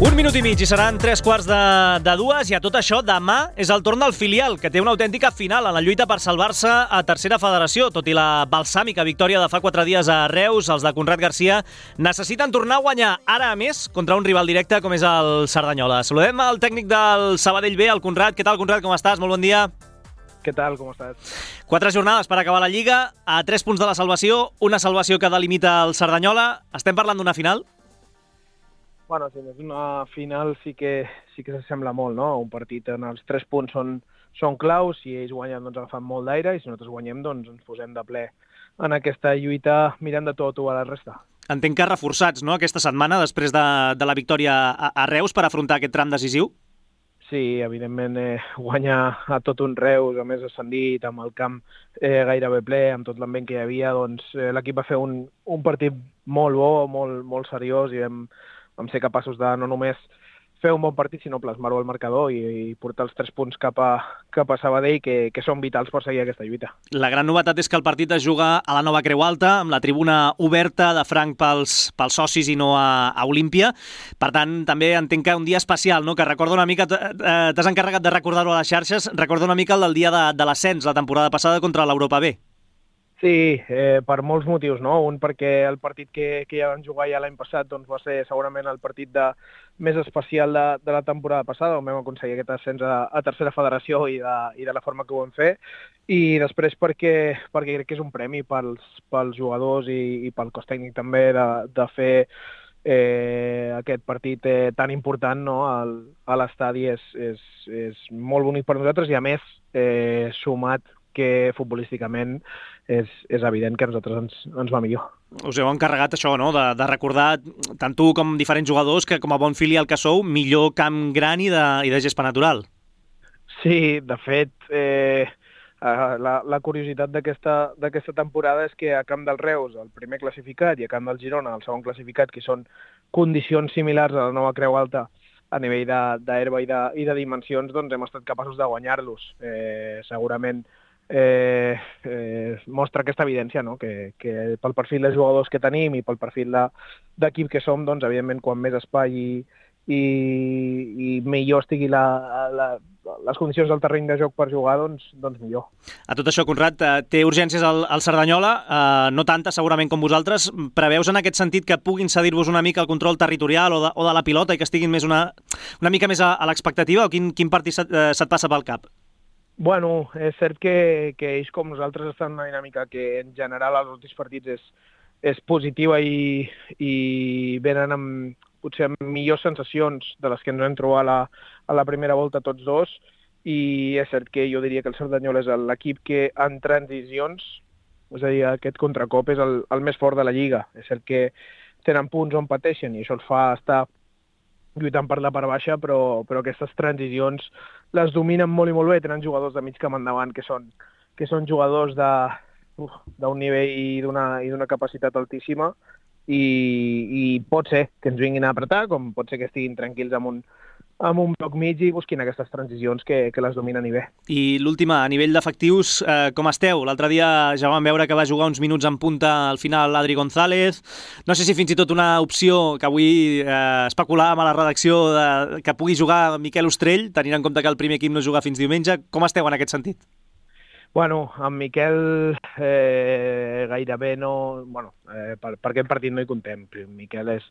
Un minut i mig i seran tres quarts de, de dues, i a tot això demà és el torn del filial, que té una autèntica final en la lluita per salvar-se a tercera federació. Tot i la balsàmica victòria de fa quatre dies a Reus, els de Conrad Garcia necessiten tornar a guanyar, ara a més, contra un rival directe com és el Cerdanyola. Saludem al tècnic del Sabadell B, el Conrad. Què tal, Conrad? Com estàs? Molt bon dia. Què tal? Com estàs? Quatre jornades per acabar la Lliga, a tres punts de la salvació, una salvació que delimita el Cerdanyola. Estem parlant d'una final? Bueno, si és una final sí que sí que s'assembla molt, no? Un partit en els tres punts són, són claus, si ells guanyen doncs agafant molt d'aire i si nosaltres guanyem doncs ens posem de ple en aquesta lluita mirant de tot a la resta. Entenc que reforçats, no?, aquesta setmana després de, de la victòria a, a Reus per afrontar aquest tram decisiu? Sí, evidentment eh, guanyar a tot un Reus, a més ascendit, amb el camp eh, gairebé ple, amb tot l'ambient que hi havia, doncs eh, l'equip va fer un, un partit molt bo, molt, molt seriós, i vam vam ser capaços de no només fer un bon partit, sinó plasmar-ho al marcador i, i portar els tres punts cap a, cap a Sabadell, que, que són vitals per seguir aquesta lluita. La gran novetat és que el partit es juga a la nova Creu Alta, amb la tribuna oberta de franc pels, pels socis i no a, a Olímpia. Per tant, també entenc que un dia especial, no?, que recorda una mica, t'has encarregat de recordar-ho a les xarxes, recorda una mica el del dia de, de l'ascens la temporada passada contra l'Europa B. Sí, eh, per molts motius, no? Un perquè el partit que, que ja vam jugar ja l'any passat doncs va ser segurament el partit de, més especial de, de la temporada passada, on vam aconseguir aquest ascens a, a tercera federació i de, i de la forma que ho vam fer, i després perquè, perquè crec que és un premi pels, pels jugadors i, i pel cos tècnic també de, de fer eh, aquest partit eh, tan important, no?, al, a l'estadi. És, és, és molt bonic per nosaltres i a més eh, sumat que futbolísticament és, és evident que a nosaltres ens, ens va millor. Us heu encarregat això, no?, de, de recordar tant tu com diferents jugadors que com a bon filial que sou, millor camp gran i de, i de gespa natural. Sí, de fet, eh, la, la curiositat d'aquesta d'aquesta temporada és que a Camp del Reus, el primer classificat, i a Camp del Girona, el segon classificat, que són condicions similars a la nova Creu Alta, a nivell d'herba i, de, i de dimensions, doncs hem estat capaços de guanyar-los. Eh, segurament Eh, eh, mostra aquesta evidència, no?, que, que pel perfil de jugadors que tenim i pel perfil d'equip de, que som, doncs evidentment quan més espai i, i, i millor estigui la, la, les condicions del terreny de joc per jugar, doncs, doncs millor. A tot això, Conrad, té urgències al, al Cerdanyola, eh, no tantes segurament com vosaltres. Preveus en aquest sentit que puguin cedir-vos una mica el control territorial o de, o de la pilota i que estiguin més una, una mica més a, a l'expectativa, o quin, quin partit se't, eh, se't passa pel cap? Bueno, és cert que, que ells com nosaltres estan en una dinàmica que en general als últims partits és, és positiva i, i venen amb, potser amb millors sensacions de les que ens vam trobar a la, a la primera volta tots dos, i és cert que jo diria que el Cerdanyol és l'equip que en transicions, és a dir, aquest contracop és el, el més fort de la Lliga. És cert que tenen punts on pateixen i això els fa estar lluitant per la part baixa, però, però aquestes transicions les dominen molt i molt bé. Tenen jugadors de mig camp endavant que són, que són jugadors de, uf, d'un nivell i d'una, i d'una capacitat altíssima, i, i pot ser que ens vinguin a apretar, com pot ser que estiguin tranquils amb un, amb un bloc mig i busquin aquestes transicions que, que les dominen i bé. I l'última, a nivell d'efectius, eh, com esteu? L'altre dia ja vam veure que va jugar uns minuts en punta al final Adri González. No sé si fins i tot una opció que avui eh, especulàvem a la redacció de, que pugui jugar Miquel Ostrell, tenint en compte que el primer equip no juga fins diumenge. Com esteu en aquest sentit? Bueno, amb Miquel eh, gairebé no... Bueno, eh, per, per aquest partit no hi contem. Miquel és,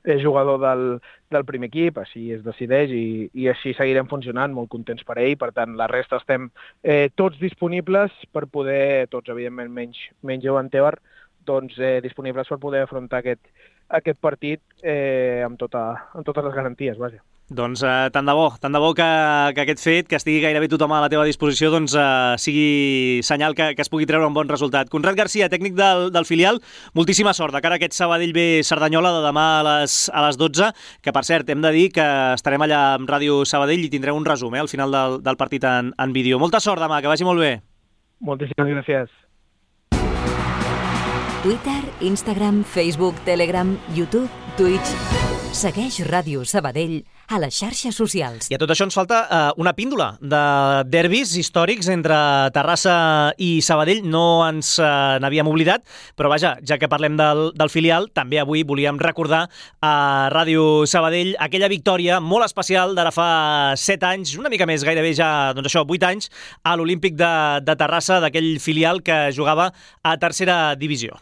és jugador del, del primer equip, així es decideix i, i així seguirem funcionant, molt contents per ell. Per tant, la resta estem eh, tots disponibles per poder, tots evidentment menys, menys Joan Tebar, doncs eh, disponibles per poder afrontar aquest, aquest partit eh, amb, tota, amb totes les garanties, vaja. Doncs eh, tant de bo, tant de bo que, que aquest fet, que estigui gairebé tothom a la teva disposició, doncs eh, sigui senyal que, que es pugui treure un bon resultat. Conrad Garcia, tècnic del, del filial, moltíssima sort de cara a aquest Sabadell B Cerdanyola de demà a les, a les dotze, que per cert hem de dir que estarem allà amb Ràdio Sabadell i tindrem un resum eh, al final del, del partit en, en vídeo. Molta sort demà, que vagi molt bé. Moltíssimes gràcies. Twitter, Instagram, Facebook, Telegram, YouTube, Twitch... Segueix Ràdio Sabadell a les xarxes socials. I a tot això ens falta eh, una píndola de derbis històrics entre Terrassa i Sabadell. No ens eh, n'havíem oblidat, però vaja, ja que parlem del, del filial, també avui volíem recordar a Ràdio Sabadell aquella victòria molt especial d'ara fa set anys, una mica més, gairebé ja, doncs això, vuit anys, a l'Olímpic de, de Terrassa, d'aquell filial que jugava a tercera divisió.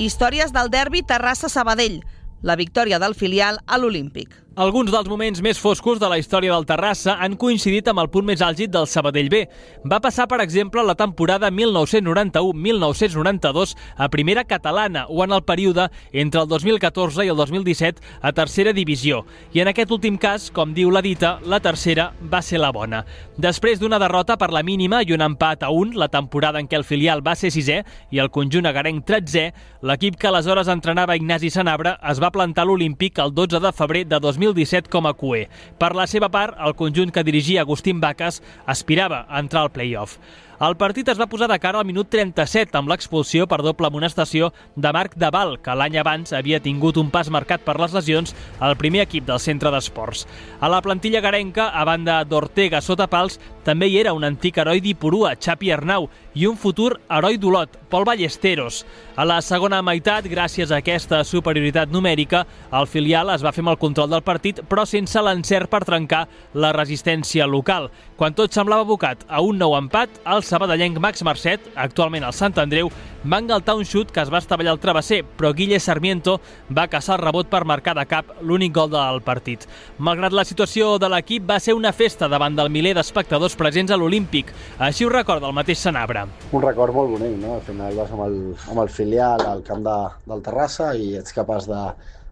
Històries del derbi Terrassa-Sabadell. La victòria del filial a l'Olímpic. Alguns dels moments més foscos de la història del Terrassa han coincidit amb el punt més àlgid del Sabadell B. Va passar, per exemple, la temporada mil nou-cents noranta-u mil nou-cents noranta-dos a primera catalana o en el període entre el dos mil catorze i el dos mil disset a tercera divisió. I en aquest últim cas, com diu la dita, la tercera va ser la bona. Després d'una derrota per la mínima i un empat a un, la temporada en què el filial va ser sisè i el conjunt agarenc tretzè, l'equip que aleshores entrenava Ignasi Sanabra es va plantar a l'Olímpic el dotze de febrer de dos mil disset com a Q E. Per la seva part, el conjunt que dirigia Agustín Vacas aspirava a entrar al play-off. El partit es va posar de cara al minut trenta-set amb l'expulsió per doble amonestació de Marc Daval, que l'any abans havia tingut un pas marcat per les lesions al primer equip del centre d'esports. A la plantilla garenca, a banda d'Ortega sota pals, també hi era un antic heroi d'Ipurua, Xapi Arnau, i un futur heroi d'Olot, Pol Ballesteros. A la segona meitat, gràcies a aquesta superioritat numèrica, el filial es va fer amb el control del partit, però sense l'encert per trencar la resistència local. Quan tot semblava abocat a un nou empat, el sabadellenc Max Marcet, actualment al Sant Andreu, va engaltar un xut que es va estavellar al travesser, però Guille Sarmiento va caçar el rebot per marcar de cap l'únic gol del partit. Malgrat la situació de l'equip, va ser una festa davant del miler d'espectadors presents a l'Olímpic. Així ho recorda el mateix Sanabra. Un record molt bonic, no? Al final vas amb el, amb el filial al camp de, del Terrassa i ets capaç de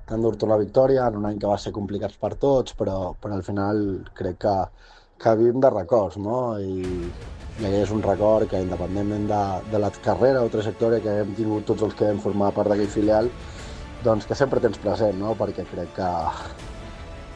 d'endur-te la victòria en un any que va ser complicat per tots, però, però al final crec que, que vivim de records, no? I, i aquest és un record que, independentment de, de la carrera o trajectòria que hem tingut tots els que hem format part d'aquell filial, doncs que sempre tens present, no? Perquè crec que,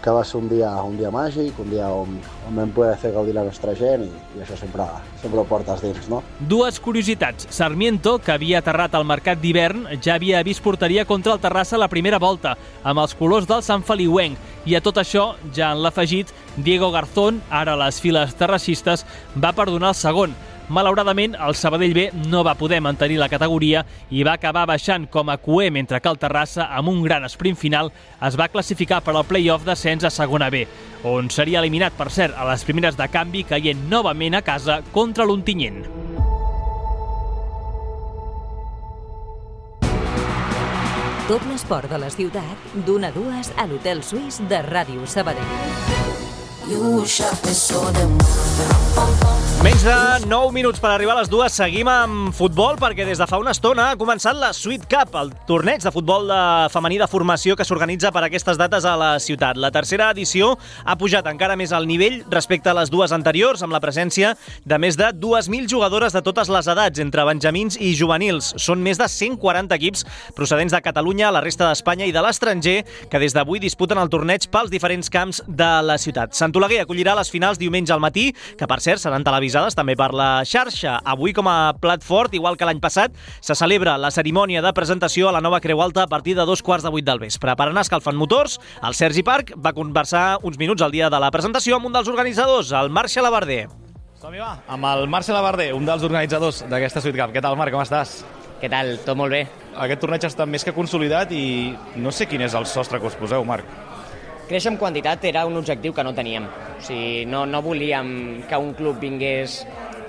que va ser un dia, un dia màgic, un dia on, on vam poder fer gaudir la nostra gent i, i això sempre, sempre ho portes dins, no? Dues curiositats. Sarmiento, que havia aterrat al mercat d'hivern, ja havia vist porteria contra el Terrassa a la primera volta, amb els colors del Sant Feliuenc. I a tot això, ja en l'afegit, Diego Garzón, ara a les files terrassistes, va perdonar el segon. Malauradament, el Sabadell B no va poder mantenir la categoria i va acabar baixant com a Q E, mentre que el Terrassa, amb un gran sprint final, es va classificar per al play-off d'ascens a segona B, on seria eliminat, per cert, a les primeres de canvi, caient novament a casa contra l'Ontinyent. Tot l'esport de la ciutat, d'una a dues a l'Hotel Suís de Ràdio Sabadell. You shot me so damn. Menys de nou minuts per arribar a les dues. Seguim amb futbol perquè des de fa una estona ha començat la Sweet Cup, el torneig de futbol de femení de formació que s'organitza per aquestes dates a la ciutat. La tercera edició ha pujat encara més al nivell respecte a les dues anteriors, amb la presència de més de dues mil jugadores de totes les edats, entre benjamins i juvenils. Són més de cent quaranta equips procedents de Catalunya, la resta d'Espanya i de l'estranger que des d'avui disputen el torneig pels diferents camps de la ciutat. Sant Oleguer acollirà les finals diumenge al matí, que per cert seran televisades també per la xarxa. Avui, com a plat fort, igual que l'any passat, se celebra la cerimònia de presentació a la nova Creu Alta a partir de dos quarts de vuit del vespre. Per anar escalfant motors, el Sergi Parc va conversar uns minuts al dia de la presentació amb un dels organitzadors, el Marc Xalabarder. Som-hi, va, amb el Marc Xalabarder, un dels organitzadors d'aquesta Sweet Cup. Què tal, Marc, com estàs? Què tal? Tot molt bé. Aquest torneig està més que consolidat i no sé quin és el sostre que us poseu, Marc. Créixer en quantitat era un objectiu que no teníem. O sigui, no, no volíem que un club vingués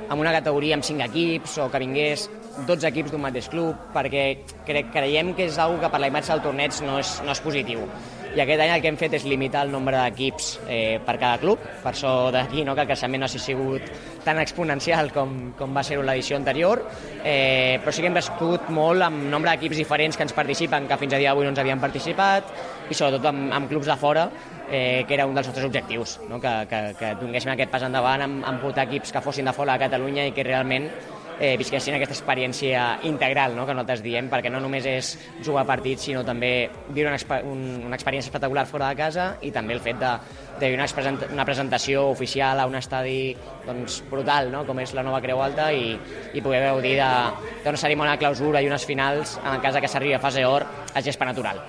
amb una categoria amb cinc equips o que vingués dotze equips d'un mateix club, perquè cre creiem que és una cosa que per la imatge del torneig no és, no és positiu. I aquest any el que hem fet és limitar el nombre d'equips eh, per cada club, per això d'aquí no, que el creixement no hagi sigut tan exponencial com, com va ser-ho l'edició anterior, eh, però sí que hem crescut molt amb nombre d'equips diferents que ens participen, que fins a dia d'avui no ens havien participat, i sobretot amb, amb clubs de fora, eh, que era un dels nostres objectius, no? que, que, que donéssim aquest pas endavant amb, amb portar equips que fossin de fora de Catalunya i que realment eh, visquessin aquesta experiència integral, no? que nosaltres diem, perquè no només és jugar partits, sinó també viure una, exper un, una experiència espectacular fora de casa i també el fet de, de viure una, una presentació oficial a un estadi doncs, brutal, no? com és la nova Creu Alta, i, i poder gaudir d'una cerimònia de clausura i unes finals, en el cas que s'arribi a fase or, a gespa natural.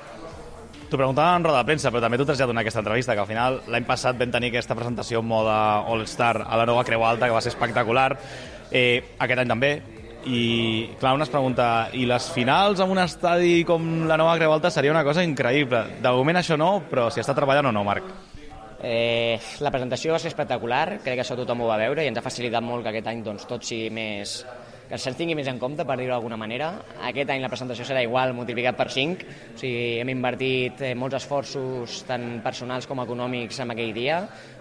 T'ho preguntava en roda de premsa, però també tu t'has ja donat aquesta entrevista, que al final l'any passat vam tenir aquesta presentació en mode All-Star a la nova Creu Alta, que va ser espectacular. Eh, aquest any també, i clar, una es pregunta, i les finals en un estadi com la nova Creu Alta seria una cosa increïble. De moment això no, però si està treballant o no, Marc? Eh, la presentació va ser espectacular, crec que això tothom ho va veure i ens ha facilitat molt que aquest any doncs, tot sigui més... que se'ns tingui més en compte, per dir-ho d'alguna manera. Aquest any la presentació serà igual, multiplicat per cinc, o sigui, hem invertit eh, molts esforços, tant personals com econòmics, en aquell dia,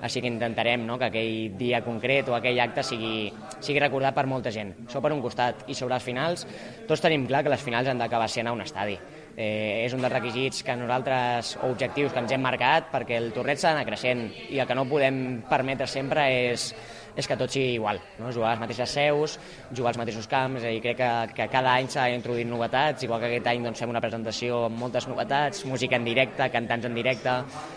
així que intentarem no, que aquell dia concret o aquell acte sigui, sigui recordat per molta gent. Això per un costat. I sobre les finals, tots tenim clar que les finals han d'acabar sent a un estadi. Eh, és un dels requisits que nosaltres, o objectius que ens hem marcat, perquè el torneig s'ha d'anar creixent i el que no podem permetre sempre és és que tot sigui igual, no? Jugar a les mateixes seus, jugar als mateixos camps, i crec que, que cada any s'ha introduït novetats, igual que aquest any doncs, fem una presentació amb moltes novetats, música en directe, cantants en directe,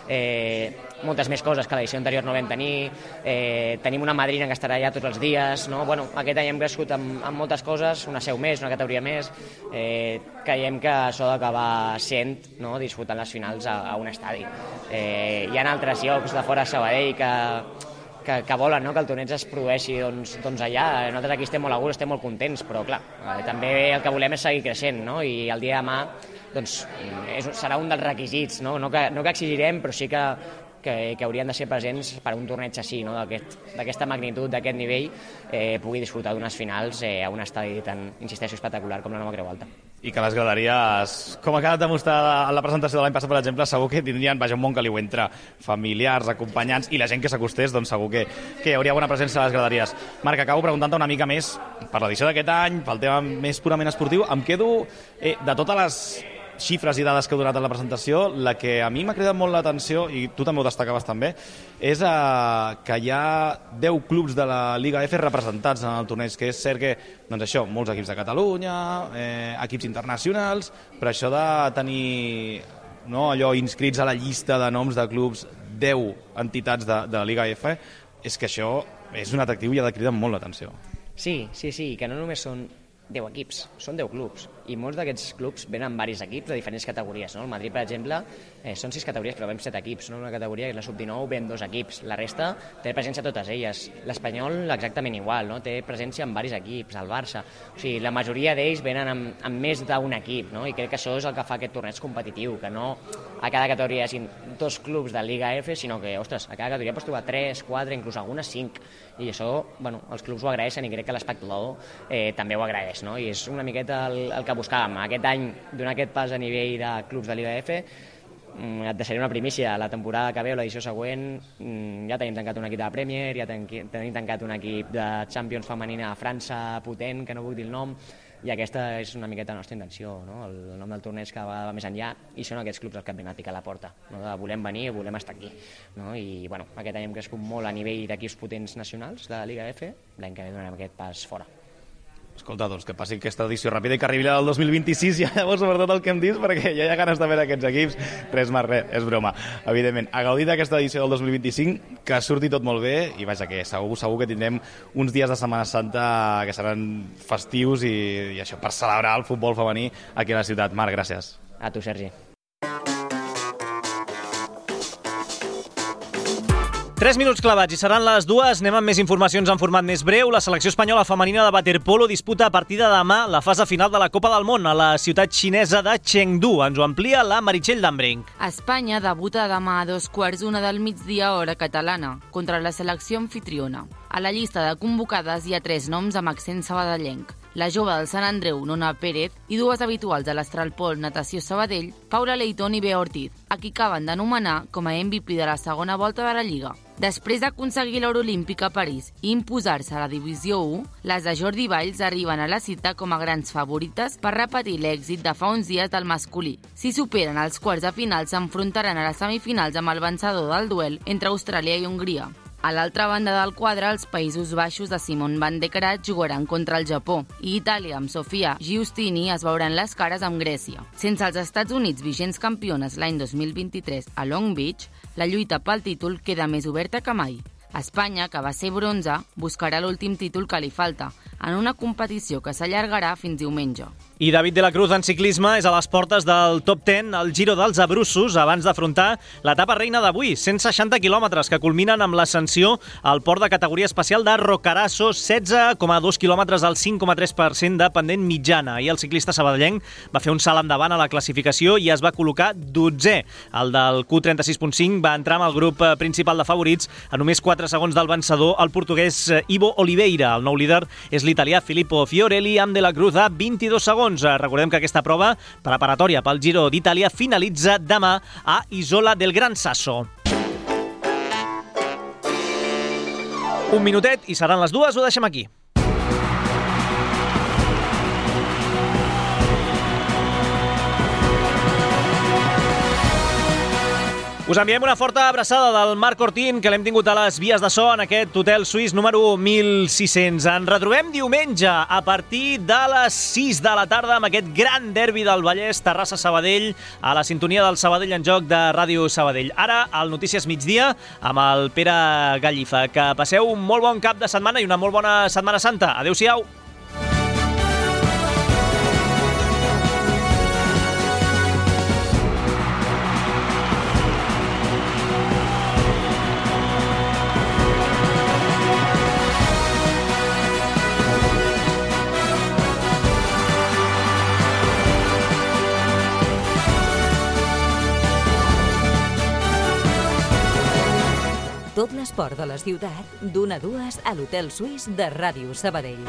eh, moltes més coses que l'edició anterior no vam tenir, eh, tenim una madrina que estarà allà tots els dies, no? Bueno, aquest any hem crescut amb, amb moltes coses, una seu més, una categoria més, eh, creiem que això d'acabar sent, no? disfrutant les finals a, a un estadi. Eh, hi ha altres llocs de fora de Sabadell que Que, que volen no? que el torneig es produeixi doncs, doncs allà. Nosaltres aquí estem molt a gust, estem molt contents, però clar, eh, també el que volem és seguir creixent, no? I el dia de demà doncs, és, serà un dels requisits, no, no, que, no que exigirem, però sí que, que, que haurien de ser presents per a un torneig així, no? d'aquesta aquest, magnitud, d'aquest nivell, eh, pugui disfrutar d'unes finals eh, a un estadi tan, insisteixo, espectacular com la nova Creu Alta. I que les graderies, com acaba de demostrar en la presentació de l'any passat, per exemple, segur que tindrien, vaja, un bon caliu entre familiars, acompanyants i la gent que s'acostés, doncs segur que, que hi hauria bona presència a les graderies. Marc, acabo preguntant-te una mica més per l'edició d'aquest any, pel tema més purament esportiu. Em quedo eh, de totes les xifres i dades que heu donat en la presentació, la que a mi m'ha cridat molt l'atenció, i tu també ho destacaves també, és eh, que hi ha deu clubs de la Liga F representats en el torneig, que és cert que, doncs això, molts equips de Catalunya, eh, equips internacionals, però això de tenir no, allò inscrits a la llista de noms de clubs, deu entitats de, de la Liga F, és que això és un atractiu i ha de cridar molt l'atenció. Sí, sí, sí, que no només són deu equips, són deu clubs, i molts d'aquests clubs venen amb diversos equips de diferents categories, no? El Madrid, per exemple, eh, són sis categories, però vam set equips, no? Una categoria, que és la sub dinou, vam dos equips, la resta té presència a totes elles. L'Espanyol exactament igual, no? Té presència en diversos equips, el Barça, o sigui, la majoria d'ells venen amb, amb més d'un equip, no? I crec que això és el que fa aquest torneig competitiu, que no a cada categoria hi hagin dos clubs de Liga F, sinó que, ostres, a cada categoria pots trobar tres, quatre, inclús algunes cinc, i això, bueno, els clubs ho agraeixen i crec que l'espectador eh, també ho agraeix, no? I és una miqueta el, el que buscàvem. Aquest any, donar aquest pas a nivell de clubs de Liga F, et deixaré una primícia. La temporada que ve o l'edició següent ja tenim tancat un equip de la Premier, ja tenim tancat un equip de Champions femenina a França potent, que no vull dir el nom, i aquesta és una miqueta la nostra intenció, no? El nom del torneig cada vegada va més enllà i són aquests clubs els que et venen a picar a la porta, no? De volem venir, volem estar aquí, no? I bueno, aquest any hem crescut molt a nivell d'equips potents nacionals de la Lliga F, l'any que ve donarem aquest pas fora. Escolta, doncs que passi aquesta edició ràpida i que arribi la del dos mil vint-i-sis ja llavors sobretot el que hem dit, perquè ja hi ha ganes de veure aquests equips. Res més, res, és broma. Evidentment, a gaudir d'aquesta edició del dos mil vint-i-cinc, que surti tot molt bé i vaja, que segur, segur que tindrem uns dies de Setmana Santa que seran festius i, i això, per celebrar el futbol femení aquí a la ciutat. Marc, gràcies. A tu, Sergi. Tres minuts clavats i seran les dues. Anem amb més informacions en format més breu. La selecció espanyola femenina de waterpolo disputa a partir de demà la fase final de la Copa del Món a la ciutat xinesa de Chengdu. Ens ho amplia la Meritxell Dambrink. Espanya debuta demà a dos quarts una del migdia hora catalana contra la selecció anfitriona. A la llista de convocades hi ha tres noms amb accent sabadellenc. La jove del Sant Andreu, Nona Pérez, i dues habituals de l'Astralpol Natació Sabadell, Paula Leitón i Bea Ortiz, a qui acaben d'anomenar com a M V P de la segona volta de la Lliga. Després d'aconseguir l'or olímpic a París i imposar-se a la Divisió u, les de Jordi Valls arriben a la cita com a grans favorites per repetir l'èxit de fa uns dies del masculí. Si superen els quarts de final, s'enfrontaran a les semifinals amb el vencedor del duel entre Austràlia i Hongria. A l'altra banda del quadre, els Països Baixos de Simon van de Krat jugaran contra el Japó i Itàlia amb Sofia Giustini es veuran les cares amb Grècia. Sense els Estats Units vigents campiones l'any dos mil vint-i-tres a Long Beach, la lluita pel títol queda més oberta que mai. Espanya, que va ser bronze, buscarà l'últim títol que li falta, en una competició que s'allargarà fins diumenge. I David de la Cruz en ciclisme és a les portes del top deu al Giro dels Abruzos abans d'afrontar l'etapa reina d'avui, cent seixanta quilòmetres que culminen amb l'ascensió al port de categoria especial de Roccaraso, setze coma dos quilòmetres al cinc coma tres per cent de pendent mitjana. I el ciclista sabadellenc va fer un salt endavant a la classificació i es va col·locar dotzè. El del Q trenta-sis punt cinc va entrar amb el grup principal de favorits a només quatre segons del vencedor, el portuguès Ivo Oliveira. El nou líder és l'italià Filippo Fiorelli amb de la Cruz a vint-i-dos segons. Recordem que aquesta prova preparatòria pel Giro d'Itàlia finalitza demà a Isola del Gran Sasso. Un minutet i seran les dues, ho deixem aquí. Us enviem una forta abraçada del Marc Ortín, que l'hem tingut a les vies de so en aquest hotel suís número mil sis-cents. Ens retrobem diumenge a partir de les sis de la tarda amb aquest gran derbi del Vallès, Terrassa-Sabadell, a la sintonia del Sabadell en joc de Ràdio Sabadell. Ara, al Notícies Migdia, amb el Pere Gallifa. Que passeu un molt bon cap de setmana i una molt bona Setmana Santa. Adéu-siau. Tot l'esport de la ciutat, d'una a dues a l'Hotel Suís de Ràdio Sabadell.